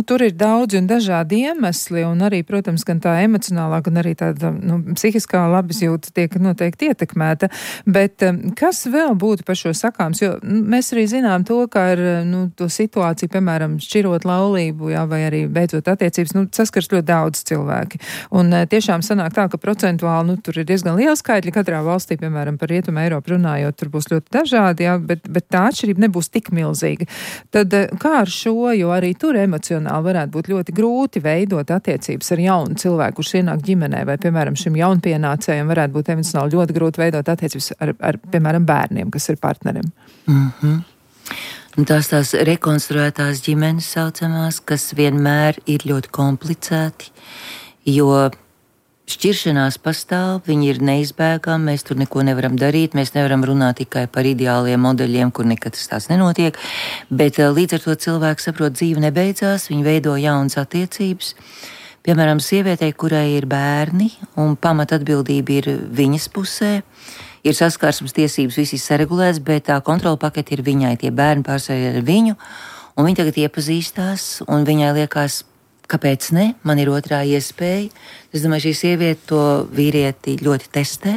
tur ir daudzi un dažādi iemesli, un arī, protams, gan tā emocionālā, gan arī tāda, psihiskā labizjūta tiek noteikti ietekmēta. Bet kas vēl būtu par šo sakāms? Jo mēs arī zinām to, ka ar, to situāciju, piemēram, šķirot laulību, vai arī beidzot attiecības, saskars ļoti daudz cilvēki. Un tiešām sanāk tā, ka procentuāli, tur ir diezgan liela skaitļa katrā valstī, piemēram, par Rietumu Eiropu runājot, tur būs ļoti dažādi, bet tā atšķirība nebūs tik milzīga. Tad kā ar šo, jo arī tur emocionāli varētu būt ļoti grūti veidot attiecības ar jaunu cilvēku, kurš ienāk ģimenē, vai, piemēram, šim jaunpienācējiem varētu būt emocionāli ļoti grūti veidot attiecības ar piemēram, bērniem, kas ir partnerim. Mhm. Un tās rekonstruētās ģimenes saucamās, kas vienmēr ir ļoti komplicēti, jo šķiršanās pastāv, viņi ir neizbēgami, mēs tur neko nevaram darīt, mēs nevaram runāt tikai par ideāliem modeļiem, kur nekad tas nenotiek, bet līdz ar to cilvēks saprot, dzīve nebeidzās, viņi veido jaunas attiecības. Piemēram, sievietei, kurai ir bērni un pamatatbildība ir viņas pusē, ir saskarsmes tiesības, viss ir saregulēts, bet tā kontrola pakete ir viņai, tie bērni pārsvarā ar viņu, un viņi tagad iepazīstās, un viņai liekas, kāpēc ne, man ir otrā iespēja. Es domāju, šī sieviete to vīrieti ļoti testē,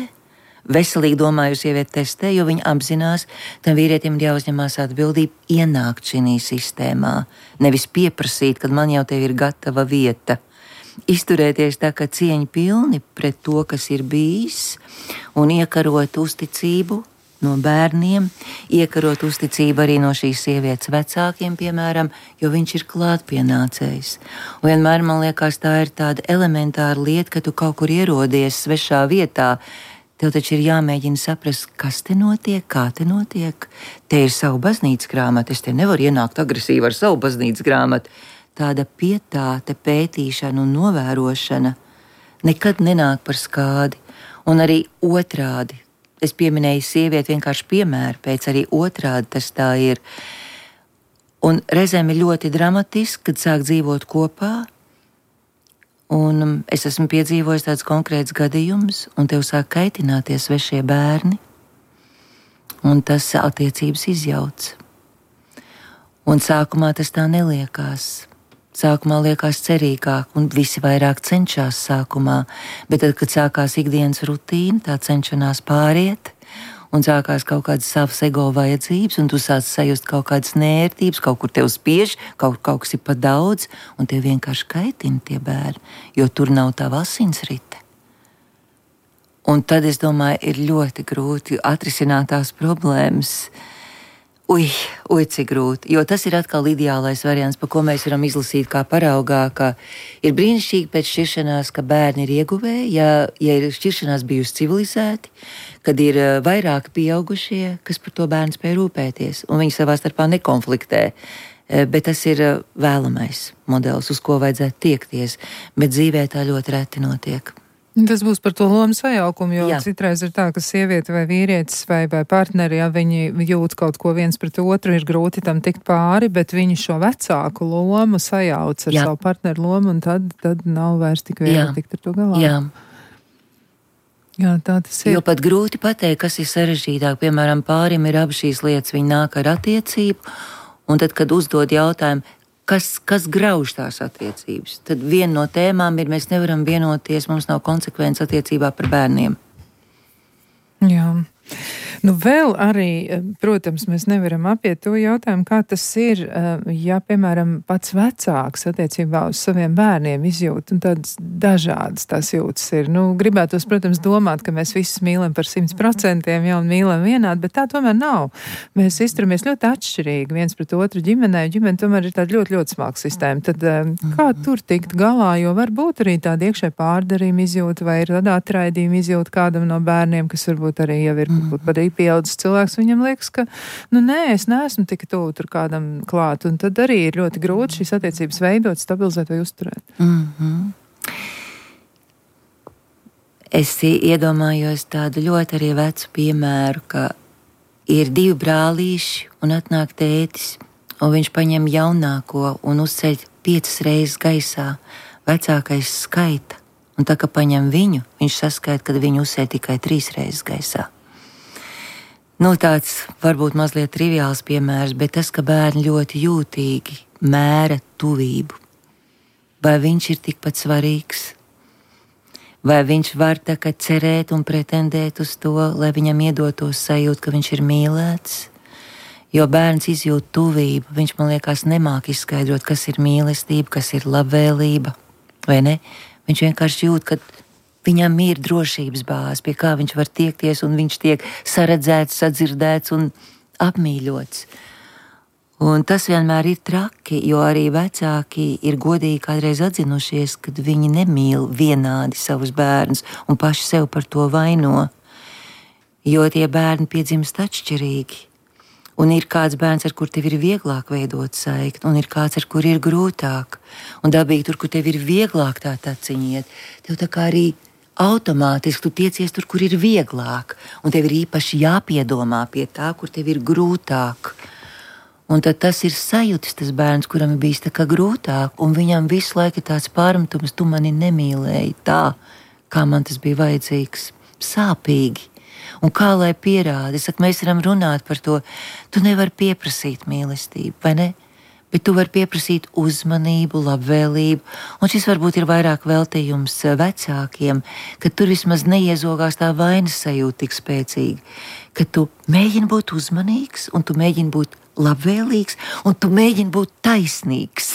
veselīgi domāju, sievieti testē, jo viņa apzinās, tam vīrietim ir jāuzņemās atbildība ienākt šī sistēmā, nevis pieprasīt, kad man jau tev ir gatava vieta. Izturēties tā kā cieņa pilni pret to, kas ir bijis, un iekarot uzticību no bērniem, iekarot uzticību arī no šīs sievietes vecākiem, piemēram, jo viņš ir klātpienācējs. Un vienmēr man liekas, tā ir tāda elementāra lieta, ka tu kaut kur ierodies svešā vietā, tev taču ir jāmēģina saprast, kas te notiek, kā te notiek. Te ir savu baznīcas grāmatu, es te nevaru ienākt agresīvi ar savu baznīcas grāmatu. Tāda pietāte, pētīšana un novērošana nekad nenāk par skādi. Un arī otrādi. Es pieminēju sievieti vienkārši piemēru, pēc arī otrādi tas tā ir. Un reizēm ir ļoti dramatiski, kad sāk dzīvot kopā. Un es esmu piedzīvojis tāds konkrēts gadījums, un tev sāk kaitināties svešie bērni. Un tas attiecības izjauc. Un sākumā tas tā neliekās. Sākumā liekas cerīgāk, un visi vairāk cenšas sākumā, bet tad, kad sākās ikdienas rutīna, tā cenšanās pāriet, un sākās kaut kādas savas ego vajadzības, un tu sāc sajust kaut kādas nērtības, kaut kur tev spiež, kaut kas ir pa daudz, un tev vienkārši kaitina tie bērni, jo tur nav tava asinsrite. Un tad, es domāju, ir ļoti grūti atrisināt tās problēmas. Cik grūti, jo tas ir atkal ideālais variants, pa ko mēs varam izlasīt kā paraugā, ka ir brīnišķīgi pēc šķiršanās, ka bērni ir ieguvēji, ja ir šķiršanās bijusi civilizēti, kad ir vairāki pieaugušie, kas par to bērnu spēj rūpēties, un viņi savā starpā nekonfliktē. Bet tas ir vēlamais modelis, uz ko vajadzētu tiekties, bet dzīvē tā ļoti reti notiek. Tas būs par to lomu sajaukumu, jo citreiz ir tā, ka sieviete vai vīrietis vai partneri, ja viņi jūt kaut ko viens pret otru, ir grūti tam tikt pāri, bet viņi šo vecāku lomu sajauc ar savu partneru lomu, un tad nav vairs tik viegli tikt ar to galā. Jā, tā tas ir. Jo pat grūti pateikt, kas ir sarežģītāk. Piemēram, pārim ir abi šīs lietas, viņi nāk ar attiecību, un tad, kad uzdod jautājumu, kas grauž tās attiecības, tad viena no tēmām ir, mēs nevaram vienoties, mums nav konsekvences attiecībā par bērniem. Jā. Nu, vēl arī, protams, mēs nevaram apiet to jautājumu, kā tas ir, ja, piemēram, pats vecāks attiecībā uz saviem bērniem izjūt, un tādas dažādas tās jūtas ir. Nu, gribētos, protams, domāt, ka mēs visus mīlam par 100%, ja, un mīlam vienādi, bet tā tomēr nav. Mēs izturamies ļoti atšķirīgi viens pret otru ģimenē, ģimene tomēr ir tāda ļoti, ļoti smalka sistēma. Tad kā tur tikt galā, jo varbūt arī tāda iekšē pārdarījuma izjūta vai ir tāda atraidījuma izjūta kādam no bērniem, kas varbūt arī jau ir padarīt pieaudzis cilvēks, viņam liekas, ka, es neesmu tik tuvu tur kādam klāt, un tad arī ir ļoti grūti šīs attiecības veidot, stabilizēt vai uzturēt. Es iedomājos tādu ļoti arī vecu piemēru, ka ir 2 brālīši un atnāk tētis, un viņš paņem jaunāko un uzceļ 5 reizes gaisā. Vecākais skaita, un tā kā paņem viņu, viņš saskaita, kad viņu uzceļ tikai 3 reizes gaisā. Tāds varbūt mazliet triviāls piemērs, bet tas, ka bērni ļoti jūtīgi mēra tuvību. Vai viņš ir tikpat svarīgs? Vai viņš var tā kā cerēt un pretendēt uz to, lai viņam iedotos sajūt, ka viņš ir mīlēts? Jo bērns izjūt tuvību, viņš, man liekas, nemāk izskaidrot, kas ir mīlestība, kas ir labvēlība, vai ne? Viņš vienkārši jūt, ka viņam ir drošības bāze, pie kā viņš var tiekties, un viņš tiek saredzēts, sadzirdēts un apmīļots. Un tas vienmēr ir traki, jo arī vecāki ir godīgi kādreiz atzinušies, kad viņi nemīl vienādi savus bērnus un paši sev par to vaino, jo tie bērni piedzimst atšķirīgi. Un ir kāds bērns, ar kur tev ir vieglāk veidot saikni, un ir kāds, ar kur ir grūtāk. Un dabīgi tur, kur tev ir vieglāk tā taciņiet, tev tā kā arī automātiski tu tiecies tur, kur ir vieglāk, un tev ir īpaši jāpiedomā pie tā, kur tev ir grūtāk. Un tad tas ir sajūtis, tas bērns, kuram ir bijis tā kā grūtāk, un viņam visu laiku ir tāds pārmetums, tu mani nemīlēji tā, kā man tas bija vajadzīgs, sāpīgi. Un kā lai pierāda, mēs varam runāt par to, tu nevari pieprasīt mīlestību, vai ne? Bet tu vari pieprasīt uzmanību, labvēlību, un šis varbūt ir vairāk veltījums vecākiem, ka tur vismaz neiezogās tā vainas sajūta tik spēcīgi, ka tu mēģini būt uzmanīgs, un tu mēģini būt labvēlīgs, un tu mēģini būt taisnīgs.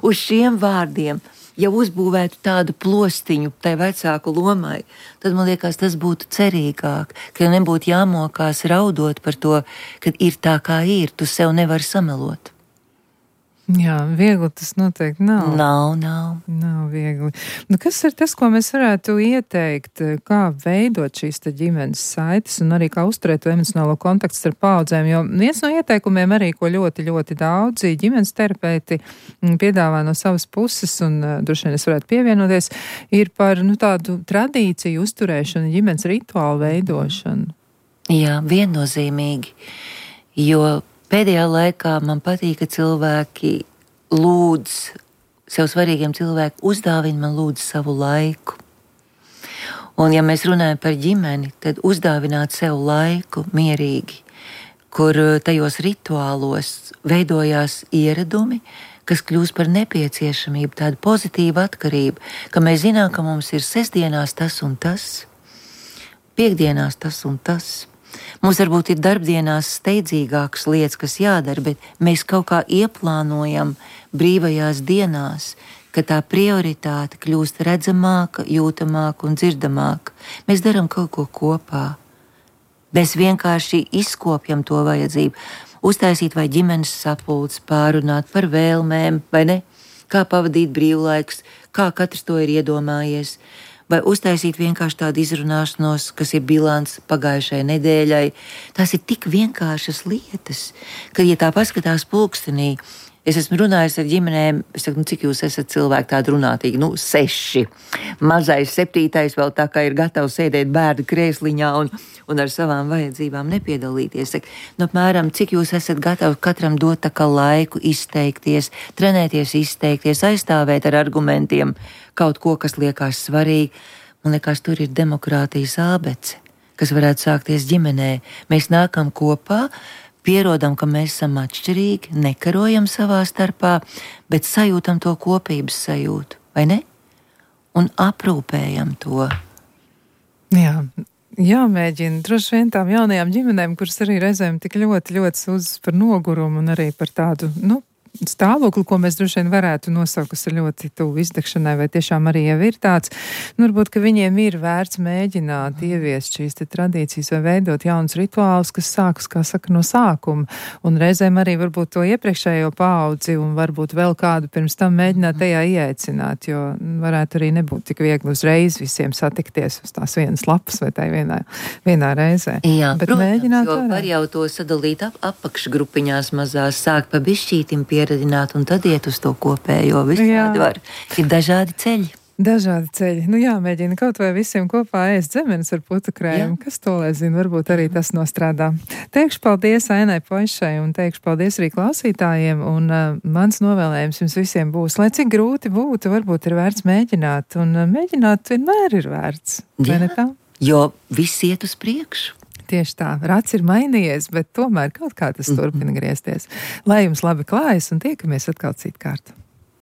Uz šiem vārdiem, ja uzbūvētu tādu plostiņu tai vecāku lomai, tad man liekas, tas būtu cerīgāk, ka nebūtu jāmokās raudot par to, ka ir tā, kā ir, tu sev nevari samelot. Jā, viegli tas noteikti nav. Nav viegli. Nu, kas ir tas, ko mēs varētu ieteikt, kā veidot šīs ģimenes saites un arī kā uzturēt to emocionālo kontaktu starp paudzēm? Jo viens no ieteikumiem arī, ko ļoti, ļoti daudzi ģimenes terapeiti piedāvā no savas puses, un droši vien es varētu pievienoties, ir par tādu tradīciju uzturēšanu, ģimenes rituālu veidošanu. Jā, viennozīmīgi, jo pēdējā laikā man patīk, ka cilvēki lūdz, sev svarīgiem cilvēkiem uzdāvina man lūdz savu laiku. Un ja mēs runājam par ģimeni, tad uzdāvināt sev laiku mierīgi, kur tajos rituālos veidojās ieradumi, kas kļūst par nepieciešamību, tādu pozitīvu atkarību, ka mēs zinām, ka mums ir sestdienās tas un tas, piekdienās tas un tas. Mums varbūt ir darbdienās steidzīgākas lietas, kas jādara, bet mēs kaut kā ieplānojam brīvajās dienās, ka tā prioritāte kļūst redzamāka, jūtamāka un dzirdamāka. Mēs darām kaut ko kopā. Mēs vienkārši izkopjam to vajadzību, uztaisīt vai ģimenes sapulces, pārunāt par vēlmēm, vai ne? Kā pavadīt brīvlaiks, kā katrs to ir iedomājies. Vai uztaisīt vienkārši tādu izrunāšanos, kas ir bilants pagājušajai nedēļai. Tās ir tik vienkāršas lietas, ka, ja tā paskatās pulkstenī, Es esmu runājis ar ģimenēm, es saku, cik jūs esat cilvēki tādi runātīgi? 6. Mazais 7. vēl tā kā ir gatavs sēdēt bērnu krēsliņā un ar savām vajadzībām nepiedalīties. Saku, apmēram, cik jūs esat gatavi katram dot tā kā laiku izteikties, trenēties izteikties, aizstāvēt ar argumentiem kaut ko, kas liekas svarīgi. Man liekas, tur ir demokrātijas ābece, kas varētu sākties ģimenē. Mēs nākam kopā, pierodam, ka mēs esam atšķirīgi, nekarojam savā starpā, bet sajūtam to kopības sajūtu, vai ne? Un aprūpējam to. Jā. Jāmēģina droši vien tām jaunajām ģimenēm, kuras arī reizēm tik ļoti sūdzas par nogurumu un arī par tādu, stāvokli, ko mēs droši vien varētu nosaukt, kas ir ļoti tuvu izdegšanai, vai tiešām arī jau ir tāds, varbūt, ka viņiem ir vērts mēģināt ieviest šīs te tradīcijas vai veidot jaunus rituālus, kas sākas, kā saka, no sākuma, un reizēm arī varbūt to iepriekšējo paudzi un varbūt vēl kādu pirms tam mēģināt tajā ieaicināt, jo varētu arī nebūt tik viegli uzreiz visiem satikties uz tās vienas lapas vai tai vienā reizē. Jā, bet protams, mēģināt jo var jau to sadalīt apakšgrupiņās mazās, sākt pa bišķītim pieredināt un tad iet uz to kopējo. Visādi var. Ir dažādi ceļi. Dažādi ceļi. Jāmēģina kaut vai visiem kopā ēst zemenes ar putu krējumu. Kas to lai zina, varbūt arī tas nostrādā. Teikšu paldies Ainai Poišai un teikšu paldies arī klausītājiem. Un mans novēlējums jums visiem būs, lai cik grūti būtu, varbūt ir vērts mēģināt. Un mēģināt vienmēr ir vērts. Vai ne tā? Jo viss iet uz priekšu. Tieši tā, rats ir mainījies, bet tomēr kaut kā tas turpina griezties. Lai jums labi klājas un tiekamies atkal citkārt.